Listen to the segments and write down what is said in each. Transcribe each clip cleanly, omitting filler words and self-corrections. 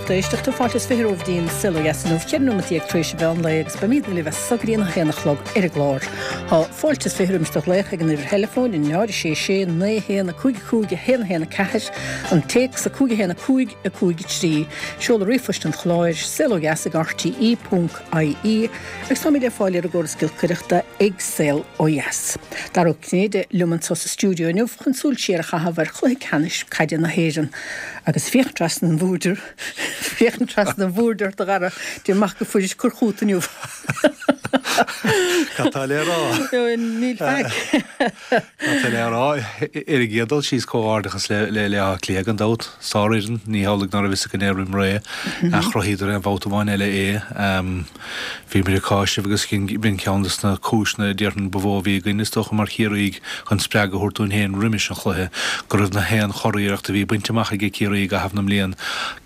lucht éisteachta, fáilte is 20 romhaibh go dtí an Saol Ó Dheas inniu, 14 nóimeat tar éis an mheán lae agus beimidne libh as so go dtí an 1 a chlog ar an gclár. Tá fáilte is 20 roimis do ghlaoch ag an uimhir theileafóin, 0 6 6 9 1 5 5 1 1 4, an téacs 5 1 5 5 3, seoladh ríomhphoist an chláir, saolodheas ag rte ponc ie, agus táimid le fáil ar an gcóras giolcaireachta ag Saol Ó Dheas. Dara Ó Cinnéide liom anseo sa stiúideo inniu chun súil siar a chaitheamh ar chluiche ceannais caide na hÉireann. Agus féachaint trasna an bhoird, féachaint trasna an bhoird ort a Dhara, déan amach go fuairis cur chugat inniu. Cad tá le rá? Níl faic. Cad tá le rá? Ar an gcéad dul síos comhghairdeachas le Áth Cliath gan dabht. Sárfhoireann, ní hamhlaidh ná raibh fhios againn é roim ré, ach chruthaíodar aon bhabhta amháin eile é. Bhíomar ag cáiseamh agus b'in ceann de na cúiseanna a déarfainn ba mhó a bhí againn, is dócha, mar Chiarraígh chun spreagadh a thabhairt dúinn féin roimis an chluiche, go raibh na haon churiarracht a bhí bainte amach aige Ciarraí i gcaitheamh na mblian,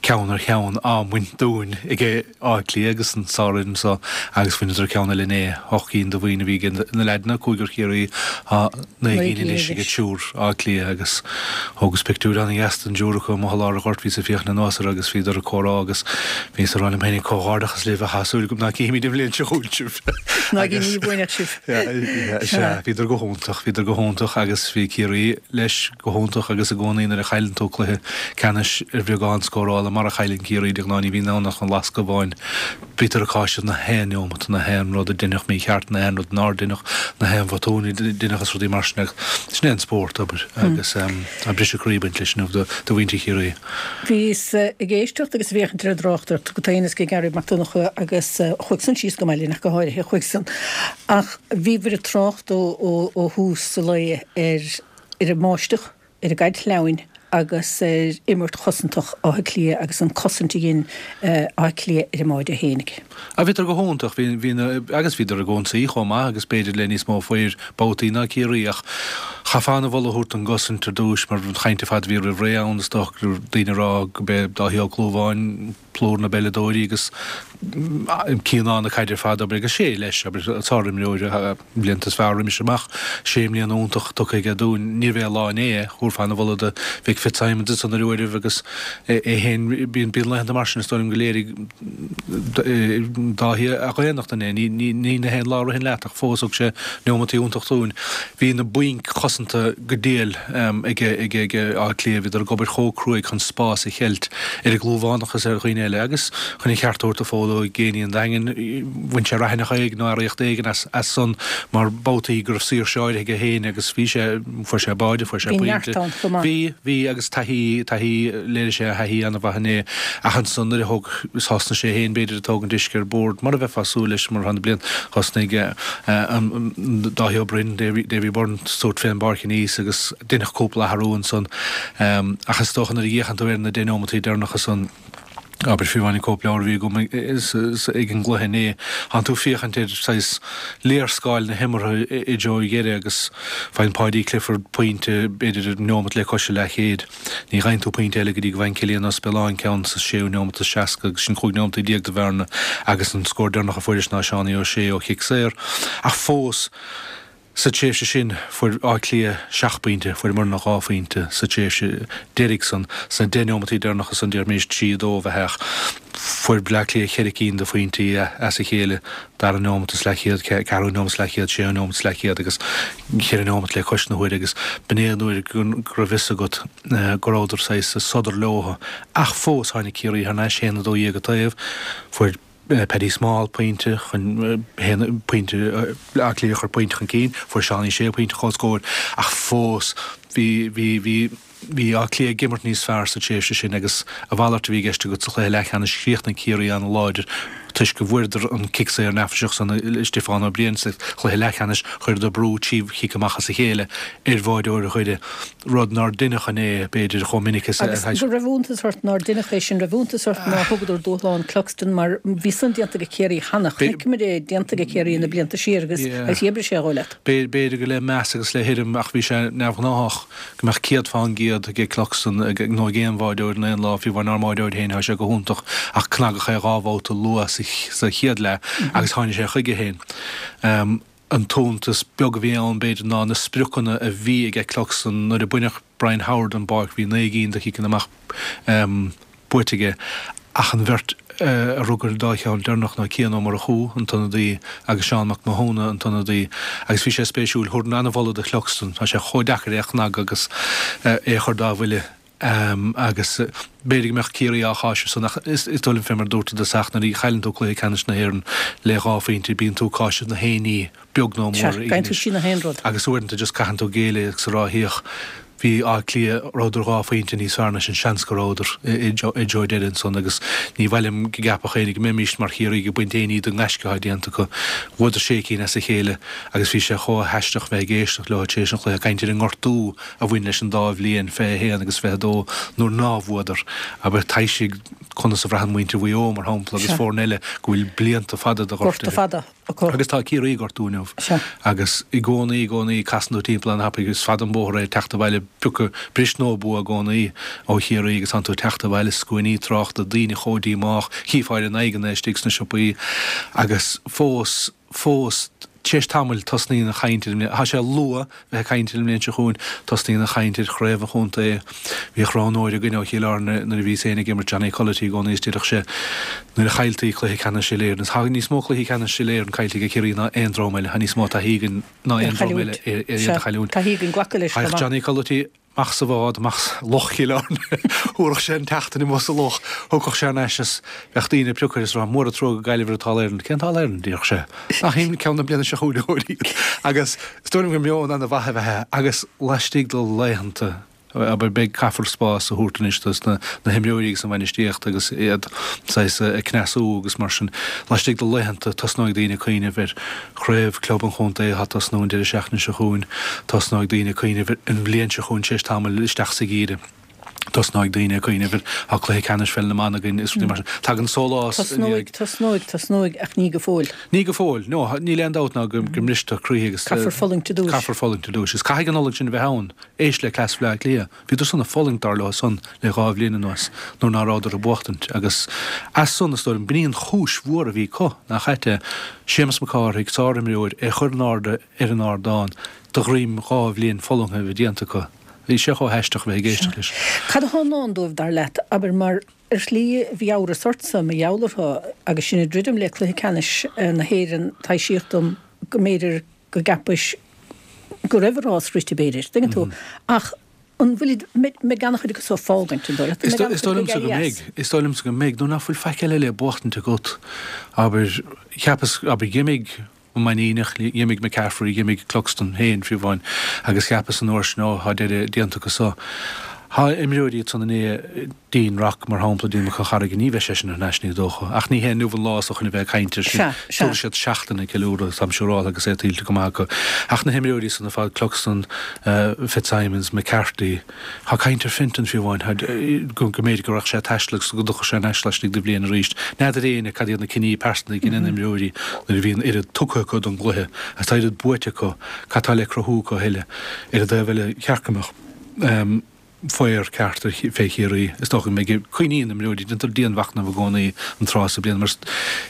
ceann ar cheann, á mbaint dúinn aige Áth Cliath agus an sárfhoireann so agus bhaineadar ceann eile inné, hocht gcinn de bhoinn a bhí aige na leaideanna, cúigear Chiarraí, tá 9 gcinn anois aige triúr Áth Cliath agus thógas pictiúr an-dheas den dtriúr acu amuigh i lár an ghoirt, bhíos ag féachaint anuas orthu agus bhíodar ag comhrá agus bhíos ag rá liom féinig comhghairdeachas libh ach tá súil agam ná cífimid an bhliain seo chugainn sibh. Ná ní bhainfeadh sibh. Sea, bhíodar go hiontach, bhíodar go hiontach agus bhí Ciarraí leis go hiontach agus i gcónaí nuair a chailleann tú cluiche ceannais ar bheagán scórála mar a chailleann Ciarraí de ghnáth ní bhíonn ann ach an lascadh amháin Bítear ag cáiseamh na haon neomat, na haon rud a deineadh mícheart, na haon rud nár deineadh, na haon bhotún a deineadh is rudaí mar sin agus sin é an spórt, abair, agus tá briseadh croí ag baint leis inniu do mhuintir Chiarraí. Bhíos ag éisteacht agus ag féachaint ar an dtráchtaireacht agat féin is ag Gearóid Mac Donncha agus chuaigh san síos go maith linn ach go háirithe, chuaigh san. Ach bhíobhair ag trácht ó thús an lae ar ar an mbáisteach, ar an gcaid shleamhain agus ar imirt chosantach Átha Cliath agus an cosaint a dhein Áth Cliath ar an mbáide fhéinig. Ah bhíodar go hiontach, bhí, bhí na, agus bhíodar ag ionsaí chomh maith agus b'fhéidir le níos mó fir babhtaí ná Ciarraí ach chaithfeá an-mholadh a thabhairt don gcosaint ar dtúis mar an chaint ar fad a bhí roimh ré ann is dócha go raibh daoine ag rá go b'é Dáithí Ó Clúmháin plúr na bpeileadóirí agus cianán na caide ar fad, abair, agus sé leis, abair, sárimreoir. Blianta is fearr roimis amach. Sé mbliana iontach tugtha aige dúinn. Níorbh é a lá inné é. Thabharfá an-mholadh do Mhick Fitzsimons ansan ar uairibh agus é féin. Bíonn laethanta mar sin is dóigh liom go léirigh Dáithí a dhaonnacht inné. Ní na haon lá a ritheann leat ach fós thug sé neomataí iontach dúinn. Bhí na boinc chosanta go diail ag Áth Cliath. Bhíodar ag obair chomh cruaidh chun spás a cheilt ar an gClúmhánach is ar dhaoine eile agus chun an cheart a thabhairt do Phól Óg Geaney an Daingin, bhain sé raithineach éigin nó earraíocht éigin as san mar babhtaí go raibh saoirse áirithe aige féin agus bhí sé, fuair sé báide, fuair sé pointe. Bhí neart ann chomh maith. Bhí, bhí agus taithí, taithí, léirigh sé a thaithí an-mhaith inné ach ansan nuair a thóg, thosnaigh sé féin b'fhéidir ag tógaint uisce ar bord mar a bheifeá ag súil leis mar atá na blianta, thosnaigh Dáithí Ó Broin, Davy Byrne, tabhairt fén bpáirc aníos agus deineadh cúpla athrú ansan ach is dócha nuair a fhéachann tú ar na deich neomataí deireanacha san, abair fiú amháin an cóipleabhar a bhí agam ag an gcluiche inné, tánn tú ag féachaint ar saghas léarscáil na himeartha i dtreo dheireadh agus faigheann Paudie Clifford pointe b'fhéidir ar neomat le cois a leathchéid. Ní fhaigheann tú pointe eile go dtí go bhfaigheann Cillian Ó Spealáin ceann sa séú neomat is 60 agus sin 15 neomataí de bhearna agus an scór deireanach a fuairis ná Seánie Ó Sé ó chic saor. Ach fós, Sa tréimhse sin, fuair Áth Cliath seacht bpointe, fuair muidne 2 phointe sa tréimhse deiridh san. Sna deich neomataí deireanacha san, déarfaimis 3, 2 a bheith ach fuair Bleá Cliath cheithre cinn de phointí as a chéile, dara neomat is leathchéad, ceathrú neomat is leathchéad, séú neomat is leathchéad agus cheithre neomat le cois na huaire agus b'in é an uair go raibh fhios agat go rabhadar saghas ag sodar leo. Ach fós tháinig Ciarraí thar n-ais, 1-12 an taobh, fuair. Paddy Small pointe chun pointe Áth Cliath a chur pointe chun cinn, fuair Seánie Sé pointe comhscóir ach fós bhí bhí bhí bhí Áth Cliath ag imirt níos fearr sa tréimhse sin agus a mhalairt a bhí i gceist agat sa chluiche leathcheannais chríochnaigh Ciarraí an-láidir toisc go bhfuaireadar an cic saor neafaiseach san le Stiofán Ó Briain sa chluiche leathcheannais chuireadar brú trí chic amach as a chéile ar bháireoir Dhoire rud nár deineadh inné, b'fhéidir, chomh minic is a. Agus go raibh iontas ort nár deineadh é sin, raibh iontas ort nár thugadar dúshlán Cluxton mar bhí san déanta ag Ciarraí cheana, chonaiceamar é déanta ag Ciarraí na blianta siar agus agus dhíbrigh sé dhó leat. B'fhéidir go le meas agus le hurraim ach bhí sé neamhghnáthach go mbeadh 100% ag Cluxton nó ag aon bháireoir in aon lá, fiú amháin ár mbáireoir féin, tá sé go hiontach ach cnagadh é dhá bhabhta luath sa chéad leath agus tháinig sé chuige féin. An t-iontas beag a bhí ann, b'fhéidir, ná na spriocanna a bhí aige Cluxton nuair a baineadh Brian Howard den bpáirc, bhí 9 gcinn de chiceanna amach buaite aige. Ach an bheirt a rug ar an dá cheann deireanach ná Cian Ó Murchú, an t-ionadaí, agus Seán Mac Mathúna, an t-ionadaí. Agus bhí sé spéisiúil, thabharfainn an-mholadh do Chluxton, tá sé chomh deacair é a chnagadh agus é a chur dá bhuille. Agus b'fhéidir go mbeadh Ciarraí á cháiseamh san ach is dóigh liom fé mar a dúirt i dtosach nuair a chailleann tú cluiche ceannais na hÉireann le dhá phointe bíonn tú ag cáiseamh na haon ní beag nó mór Sea, gabhann tú trí na haon rud. Agus uaireanta just caitheann tú géilleadh agus a rá féach bhí Áth Cliath, rabhadar dhá phointe níos fearr ná sinn, seans go rabhadar i dtreo deiridh ansan agus ní mhaith liom go gceapfadh éinne go mbeimíst mar Chiarraí ag baint aon ní den ngaisce atá déanta acu. Bhuadar sé cinn as a chéile agus bhí sé chomh haisteach bheith ag éisteacht leo tar éis an chluiche ag caint ar an ngortú a bhain leis an dá bhliain, 21 agus 22, nuair ná bhuadar. Abair, taibhsigh conas a bhraitheann muintir Mhaigh Eo, mar shampla, agus foirne eile go bhfuil blianta fada de Gorta fada acu. Agus tá Ciarraí ag gortú inniu. Agus i gcónaí, i gcónaí, casann tú timpeall an-tapaidh, is fada an bóthar é teacht abhaile, piocadh bris nó bua i gcónaí ó Chiarraí agus tánn tú ag teacht abhaile, scuainí tráchta, daoine chomh díomách, chífeá ar a n-aghaidheanna istigh sna siopaí agus fós, fós, tar éis tamaill, tosnaíonn an chaint ar an mbliain, tá sé luath bheith ag caint ar an mbliain seo chugainn, tosnaíonn an chaint ar chraobh an chontae. Bhíodh roghnóir againn ó Chill Airne nuair a bhíos féin ag imirt, Johnny Culloty i gcónaí is déarfadh sé nuair a chailltí cluiche ceannais Uile-Éireann, is tá níos mó cluichí ceannais Uile-Éireann caillte ag Ciarraí ná aon dream eile, tá níos mó taithí againn ná aon dream eile ar iad a chailliúint. Taithí againn glacadh leis chomh maith. Johnny Culloty. Amach sa bhád, amach sa loch Chill Airne. Thabharfadh sé an tseachtain amuigh sa loch, thiocfadh sé thar n-ais is bheadh daoine ag piocadh air is ag rá, Mór an trua gur Gaillimh ar an t-All Ireland. Cén t-All Ireland? a déarfadh sé. Nach shin ceann na bliana seo chugainn a chóirín. Agus is dóigh liom gur meon ana-mhaith ab ea é agus laistigh de laethanta, abair, beidh, caithfear spás a thabhairt anois dos na himreoirí agus an bhainistíocht agus iad saghas ag cneasú agus mar sin. Laistigh de laethanta tosnóidh daoine ag cuimhneamh ar Chraobh Club an Chontae atá ag tosnú an deireadh seachtaine seo chugainn. Tosnóidh daoine ag cuimhneamh ar an bhliain seo chugainn tar éis tamaill isteach sa gheimhreadh. Tosnóidh daoine ag cuimhneamh ar tá cluiche ceannais pheil na mban againn is rudaí mar sin. Tagann sólás i ndiaidh. Tosnóidh, tosnóidh, tosnóidh ach ní go fóill. Ní go fóill. No, níl aon dabht ná go mbristear croíthe agus. Caithfear fulaingt ar dtúis. Caithfear fulaingt ar dtúis. Is caithfidh an fhulaingt sin a bheith ann. Éist le cleas Bhaile Átha Cliath. Bhíodar san ag fulaingt, dar leo san, le dhá bhliain anuas, nuair ná rabhadar ag buachtaint, agus as san, is dóigh liom, b'in í an chúis mhór a bhí acu, nach ait é, Séamus Mac Cárthaigh, sár-imreoir, é chur in airde ar an ardán, de dhroim dhá bhliain fulaingthe a bheith déanta acu. Bhí sé chomh haisteach a bheith ag éisteacht leis. Cad atá i ndán dóibh, dar leat? Abair, mar ar shlí, bhí amhras ortsa, mar gheall orthu, agus sinn ag druidim le cluiche ceannais na hÉireann, taibhsíodh dom go mb'fhéidir go gceapais go raibh a rás rite, b'fhéidir, tuigeann tú, ach an bhfuilid, mbeidh an-chuid acu so ag fágaint, an dóigh leat? Is dóigh liomsa go mbeidh, is dóigh liomsa go mbeidh, nuair nach bhfuil faic eile le buachtaint agat, abair, cheapas, abair, d'imigh an Mainníneach, d'imigh McCaffrey, d'imigh Cluxton féin, fiú amháin, agus cheapas an uair sin, ó, tá deireadh déanta acu so. Tá imreoirí ansan inné, Dean Rock, mar shampla, Dean Mac Con Charraige, ní bheidh seisean thar n-ais, ní dócha. Ach ní hé inniu an lá so chun a bheith ag caint air sin. Sea, sea. Tabharfaidh siad seachtain ag ceiliúradh, táim siúráltha, agus é tuillte go maith acu. Ach na himreoirí san ar fad, Cluxton, Fitzsimons, McCarthy, tá caint ar Fintan fiú amháin, go mb'fhéidir go raghadh sé ag taisteal agus go dtiocfadh sé thar n-ais laistigh de bhliain arís. N'fheadar éinne cad iad na cinní pearsanta a dheineann imreoirí nuair a bhíonn oiread tugtha acu don gcluiche agus tá oiread buaite acu, cad tá le cruthú acu a thuilleadh. Ar an dtaobh eile, cheart go mbeadh. faobhar ceart ar fé Chiarraí. Is dócha go mbeidh cuimhníonn imreoirí, déantar dianmhachnamh i gcónaí an tráth sa bliain mar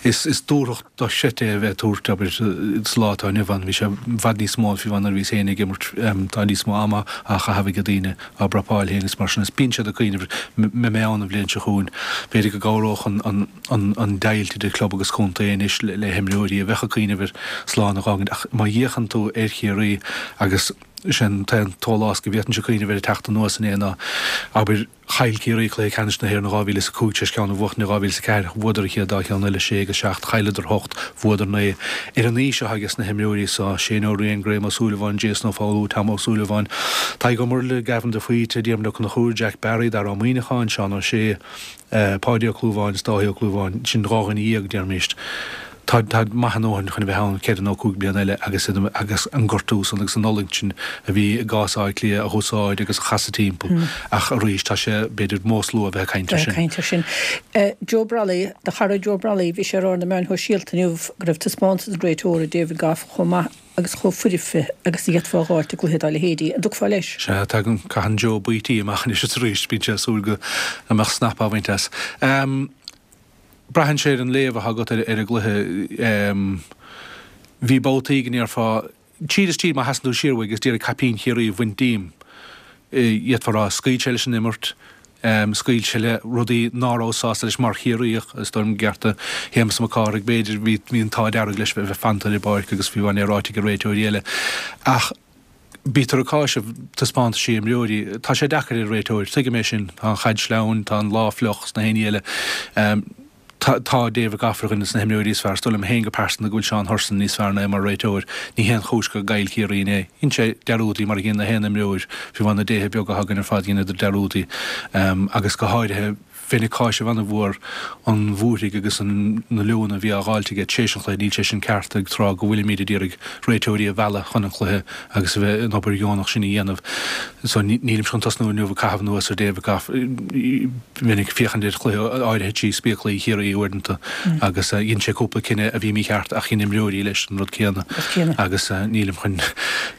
is dúthracht dochreidte é a bheith ag tabhairt, abair, sa lá atá inniu ann. Bhí sé i bhfad níos mó fiú amháin nuair a bhíos féin ag imirt. Tá níos mó ama á chaitheamh ag daoine á bprapáil féin agus mar sin is bíonn siad ag cuimhneamh mbeidh mé ann an bhliain seo chugainn. B'fhéidir go gcabhródh an an deighilt idir club agus contae anois le himreoirí a bheadh ag cuimhneamh ar slán a dh'fhágaint ach má fhéachann tú ar Chiarraí agus Is é an t-aon tsólás go bhféadfainnse cuimhneamh air ag teacht anuas inné ná, abair, chaill Ciarraí cluiche ceannais na hÉireann in 2005 tar éis ceann a bhuachtaint in 2004, bhuadar an chéad dá cheann eile, sé agus seacht, chailleadar hocht, bhuadar naoi. Ar an aois atá ages na himreoirí so, Shane Ó Riain, Graham Ó Súilleabháin, Jason Ó Foghlú, Tom Ó Súilleabháin, Tadhg Ó Murlaidh, Gavin de Faoite, Diarmuid Ó Conchúir, Jack Barry, Dara Ó Muíneacháin, Seán Ó Sé, Páidí Ó Clúmháin is Dáithí Ó Clúmháin, sin dhá dhuine dhéag, déarfaimíst. Táid, táid maith a ndóthain chun a bheith ann ceithre nó cúig bliana eile agus iad, agus an gortú san agus an fhulaingt sin a bhí i gcás Átha Cliath a dh'úsáid agus a chasadh timpeall. Ach arís, tá sé, b'fhéidir, mós luath a bheith ag caint air sin. Bheith ag caint air sin. Joe Brolly, do chara Joe Brolly, bhí sé ag rá ar na meáin shóisialta inniu go raibh taispeántas an réiteora David Gough chomh maith agus chomh foirfe agus a d'fhéadfá a dh'fháilt i gcluiche dá leithéidí. An dtiocfá leis? Sea, tagann, caitheann Joe baoití amach anois is arís, bíonn sé ag súil go mbeadh snap á bhaint as. Braitheann sé ar an léamh atá agat ar an gcluiche. Bhí babhtaí go ndéarfá, tríd is tríd má sheasann tú siar uaidh agus d'iarraidh caipín Chiarraí a bhaint díom, d'fhéadfá a rá, scaoil sé leis an imirt. Scaoil sé le rudaí ná raibh sásta leis mar Chiarraíoch, is dóigh liom i gcearta Shéamus Mac Cárthaigh, b'fhéidir, bhí an t-ádh dearg leis bheith fanta ar an bpáirc agus fiú amháin é ráite ag réiteoirí eile. Ach bítear ag cáiseamh taispeántaisí imreoirí. Tá sé deacair ar an réiteoir, tuigim é sin. Tá an chaid sleamhain, tá an lá fliuch is na haon ní eile. Tá David Gough ar dhuine de na himreoirí is fearr. Is dóigh liom féin go pearsanta go bhfuil Seán Hurson níos fearr ná é mar réiteoir. Ní haon chúis go gcaill Ciarraí inné. Dhein sé dearúdaí mar a dhein na haon imreoir. Fiú amháin na déithe beaga atá againn ar fad dheineadar dearúdaí agus go háirithe bheinn ag cáiseamh an-mhór an bhúirthigh agus na liúnna a bhí á dháilt aige tar éis an chluiche. Níl sé sin ceart ag tráth go bhfuilimid ag iarraidh réiteoirí a mhealladh chun an chluiche agus a bheith an obair dheonach sin a dhéanamh. So nílimse chun tosnú inniu ag caitheamh anuas ar David Gough. Bheinn ag féachaint ar chluiche áirithe trí spéaclaí Chiarraí uaireanta agus dhein sé cúpla cinneadh a bhí mícheart ach dhein imreoirí leis an rud céanna agus nílim chun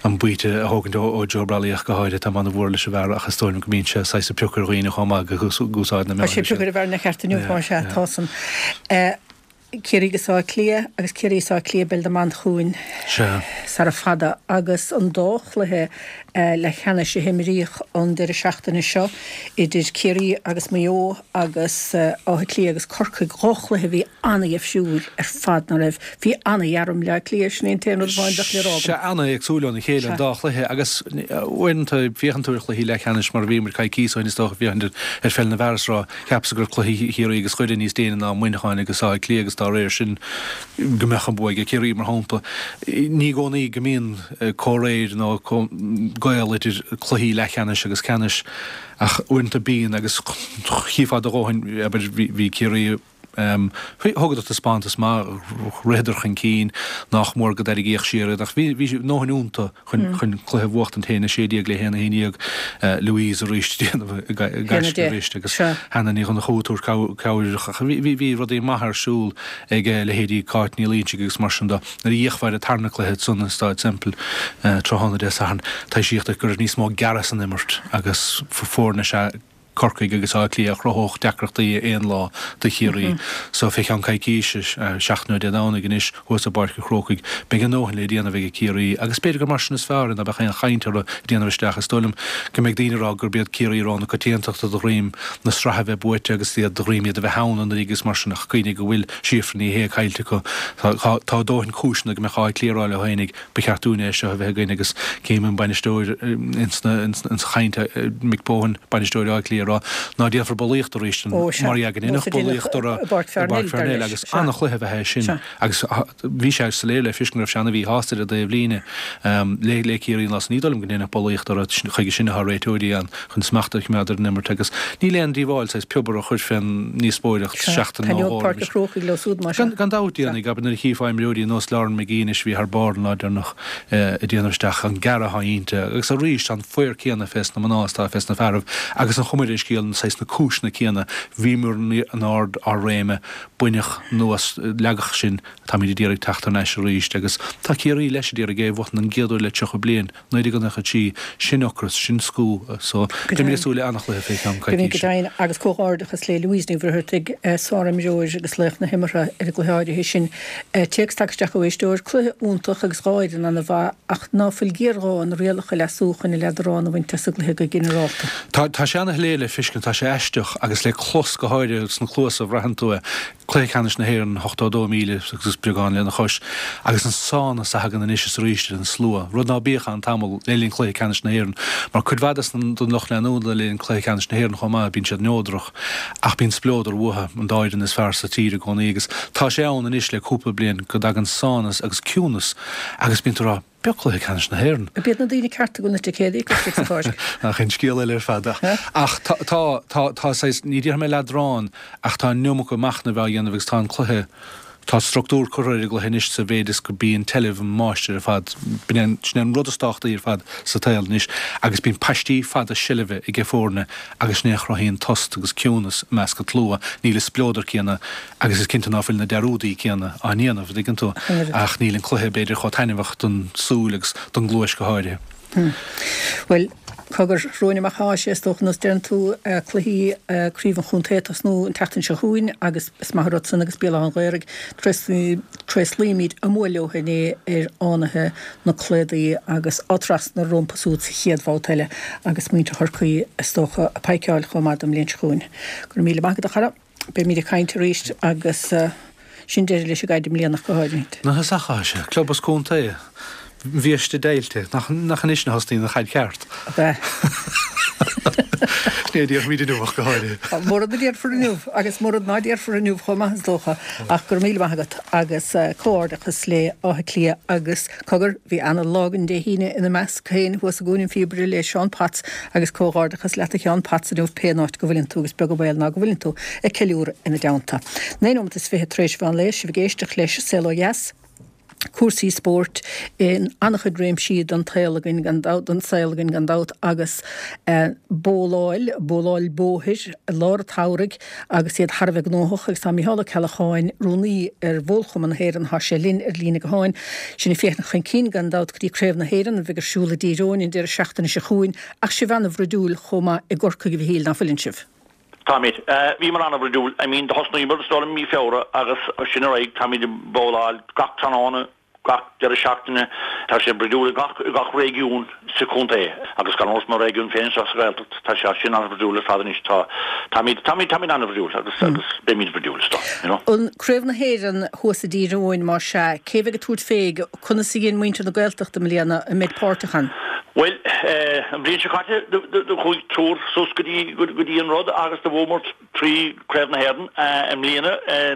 an baoite a thógaint ó Joe Brolly ach go háirithe, táim an-mhór leis an bhfear ach is dóigh liom go mbíonn sé saghas ag piocadh ar dhaoine chomh maith ag úsáid na meáin. Tá sé ag piocadh ar an bhfear ina cheart inniu, más ea, tá san. Ciarraí agus Áth Cliath agus Ciarraí is Áth Cliath Béal Átha Manchúin sara fada agus an dá chluiche leathcheannais a himríodh an deireadh seachtaine seo idir Ciarraí agus Maigh Eo agus Áth Cliath agus Corcaigh, dhá chluiche a bhí an-dhifriúil ar fad, ná raibh? Bhí an-ghearr i mBleá Cliath, sin é an t-aon rud amháin bheadh le rá agam. Sea, an-éagsúil óna chéile an dá chluiche agus uaireanta féachann tú ar chluichí leathcheannais mar a bhí muid coicíos ó shin is dócha féachaint ar pheil na bhfear is rá Cheapas go raibh cluiche Chiarraí agus Dhoire níos déine ná Muineacháin agus Áth Cliath agus dá réir sin go mbeadh an bua ag Ciarraí, mar shampla. Ní i gcónaí go mbíonn comhréir nó gaol idir cluichí leathcheannais agus ceannais ach uaireanta bíonn agus chífeá do dhóthain, abair, bhí Ciarraí, thugadar taispeántas maith, ritheadar chun cinn, nách mór go dtarraingíodh siar iad ach bhí a ndóthain iontu. chun cluiche a bhuachtaint 1, 16 le 1, 11, Louise arís ag déanamh gaisce arís agus Hannah Ní Dhonnchú ag tabhairt cabhair ach bhí rudaí maithe ar siúl ag leithéidí Cáit Ní Loingsigh agus mar sin de. Nuair a d'fhéachfá ar an tarna cluiche ansan i Stáid Semple tráthnóna Dé Sathairn, taibhsíodh duit go raibh níos mó gearradh san imirt agus foirne is ea Corcaigh agus Áth Cliath a chruthódh deacrachtaí aon lá do Chiarraí. So fé cheann coicíse, seachtain ó Dé Domhnaigh anois, thuas i bPáirc an Chrócaigh, beidh a ndóthain le déanamh ag Ciarraí agus b'fhéidir gur mar sin is fearr ná beadh aon chaint orthu ag déanamh isteach. Is dóigh liom go mbeidh daoine ag rá gurb iad Ciarraí rogha na coitiantachta de dhroim na sraithe a bheith buaite agus iad de dhroim iad a bheith ann anuraidh agus mar sin ach cuimhnigh go bhfuil Síofra Ní Shé caillte acu. Tá a dóthain cúiseanna go mbeadh Áth Cliath ag rá leo fhéinig Ba cheart dúinne é seo a bheith againn agus cím an bainisteoir ins chaint, Mick Bohan, bainisteoir Átha Cliath, ag rá ná déanfar bulaíocht arís mar dhea go ndéanfadh bulaíocht orthu i bPáirc Pharnell agus an-chluiche a bheadh é sin agus bhí sé soiléir le feiscint go raibh sé an-mhíshásta ar an dtaobh líne le Ciarraí an lá san. Ní dóigh liom go ndéanfadh bulaíocht orthu, chuige sin atá réiteoirí ann. chun smacht a choimeád ar an imirt agus níl aon díobháil saghas piobar a chur fén ndíospóireacht seachtain nó dhó roimis. Gan dabht déanfaidh, abair nuair a chífeá imreoirí nós Lauren McGee anois a bhí thar barr an lá deireanach ag déanamh isteach, an gearradh atá inti agus arís tá an faobhar céanna fés na mná is atá fés na fearaibh agus an chuma ar an scéal saghas na cúiseanna céanna, bhíomar in ard ár réime, baineadh anuas, leagadh sinn, táimid ag iarraidh teacht thar n-ais arís agus tá Ciarraí leis ag iarraidh é a bhuachan an gcéad uair le 30 bliain. 1993, sin ocras, sin scúth, so beimid ag súil le an-chluiche fé cheann Go coicíse. deimhin, agus comhghairdeachas le Louise Ní Mhuircheartaigh, sárimreoir agus laoch na himeartha ar an gcluiche áirithe sin. Téacs tagtha isteach ó éisteoir, Cluiche iontach agus dhá fhoireann ana-mhaith, ach ná fuil géarghá na rialacha a leasú chun an leadrán a bhaint as an gcluiche go ginearálta. Tá sé ana-shoiléir le feiscint, tá sé aisteach agus le clos go háirithe sna cluasa a bhraitheann tú é. Cluiche Ceannais na hÉireann, 82,000 agus beagán lena chois, agus an sánas a thagann anois is arís ar an slua, rud ná bíodh ann tamall le linn Chluiche Ceannais na hÉireann, mar cuid mhaith des na den lucht leanúna le linn Cluiche Ceannais na hÉireann chomh maith, bíonn siad neodrach, ach bíonn spleodar uathu, an dá fhoireann is fearr sa tír i gcónaí, agus tá sé ann anois le cúpla bliain go dtagann sánas agus ciúnas agus bíonn tú ag rá, B'eo Cluiche Ceannais na hÉireann. Ab iad na daoine cearta go bhfuil na ticéadaí acu istigh sa pháirc? Ach an scéal eile ar fad. Ach tá, tá, tá, tá saghas, ní déarfaidh mé leadrán, ach tá an iomarca machnaimh á dhéanamh agus tá an cluiche, tá structúr curtha ar an gcluiche anois sa mhéid is go bíonn tseilbh an máistir ar fad, b'in é an, sin é an rud is tábhachtaí ar fad sa tsaol anois agus bíonn paistí fada seilbhe aige foirne agus sin é a chruthaíonn tost agus ciúnas i measc an tslua, níl an spleodar céanna Agus is cinnte ná fuil na dearúdaí céanna á ndéanamh, an dtuigeann tú, ach níl an cluiche, b'fhéidir, chomh taitneamhach don súil agus don gcluais go háirithe. Bhuel, Cogar, romhainn amach athá sé, is dócha, nós deireann tú, cluichí Craobh an Chontae ag tosnú an tseachtain seo chugainn agus is maith an rud san agus Béal Átha an Ghaorthaidh, tréaslaímid a mbua leo inné ar Fhánaithe na Cladaí agus Áth Trasna rompu súd sa chéad bhabhta eile agus muintir Chorcaí is dócha ag paidhceáil chomh maith don mbliain seo chugainn. Go raibh míle maith agat a chara. Beimid ag caint arís agus sin deireadh leis an gcaid i mbliana ach go háirithe. Nach is ea sé, club is contae, biaiste deighilte, nach anois a thosnaíonn an chaid cheart? Ab ea? Sin é a déarfaimid inniu ach go háirithe. Mórán a déarfar inniu agus mórán ná déarfar inniu chomh maith is dócha ach go raibh míle maith agat agus comhghairdeachas le Áth Cliath agus Cogar, bhí ana-lá againn Dé hAoine ina measc féin thuas i gCuan an Phíobaire le Seán Potts agus comhghairdeachas leat a Sheáin Potts inniu pé áit go bhfuileann tú agus beag an baol ná go bhfuileann tú ag ceiliúradh ina dteannta. 9 nóimeat is 20 tar éis mheán lae, sibh ag éisteacht leis Saol Ó Dheas, cúrsaí spóirt in an-chuid réimsí den tsaol againn gan dabht, den saol againn gan dabht agus bowláil, bowláil bóthair i lár an tsamhraidh agus iad thar a bheith gnóthach agus tá Micheál Ó Ceallacháin, Rúnaí ar Bhólchumann na hÉireann, thá sé linn ar líne gutháin. Sinn ag féachaint chun cinn gan dabht go dtí Craobh na hÉireann a bheidh ar siúl i dTír Eoghain an deireadh seachtaine seo chugainn ach sibh ana-bhroidiúil chomh maith i gCorcaigh a Mhichíl, ná fuileann sibh? Táimid. Bhíomar ana-bhroidiúil. I mean do thosnaíomar is dóigh liom i mí Feabhra agus sin ar aghaidh táimid ag bowláil gach tráthnóna Gach deireadh seachtaine tá sé broidiúil i gach i gach réigiún sa chontae agus gan amhras mo réigiún féin anseo sa Ghaeltacht tá sé sin an-bhroidiúil ar fad anois. Tá táimid táimid táimid an-bhroidiúil agus agus beimid broidiúil is dóigh, you know. An Craobh na hÉireann thuas i dTír Eoghain más ea, cé bheidh ag tabhairt fé, conas a dhein muintir na Gaeltachta i mbliana, an mbeid páirteach ann? Bhuel, an bhliain seo caite do chuaigh triúr suas go dtí go dtí an rud agus do bhuamar 3 Craobh na hÉireann i mbliana.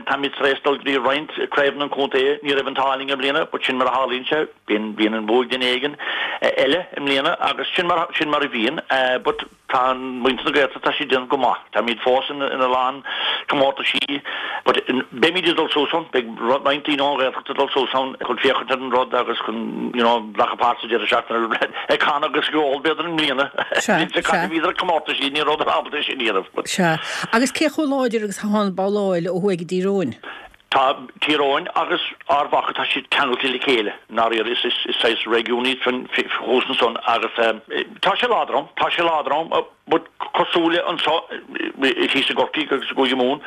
Táimid tar éis dul go dtí roinnt craobhanna an chontae. Ní raibh an t-ádh linn i mbliana but sin mar a tharlaíonn sé. Bíonn bíonn an bua ag duine éigin eile i mbliana agus sin mar sin mar a bhíonn. But tá muintir na Gaeltachta tá siad déanamh go maith. Táimid fós in ina lán comórtaisí but beimid ag dul suas ann. Beidh roinnt daoine ón Ghaeltacht ag dul suas ann chun féachaint ar an rud agus chun you know glacadh páirt sa deireadh seachtaine ag canadh agus ag ól b'fhéidir i mbliana. Sea, Bhí sea. caite bhíodar ag comórtaisí ní rabhadar ábalta é sin a dhéanamh but. Sea. Agus cé chomh láidir agus atá an bhabhláil ó thuaidh i dTír Eoghain? Tá Tír Eoghain agus Ard Mhacha tá siad ceangailte le chéile i ndáiríre is is is saghas réigiún iad san thuas ansan agus tá sé láidir ann tá sé láidir ann but cosúil le anseo thíos i gCorcaigh agus i gCúige Mumhan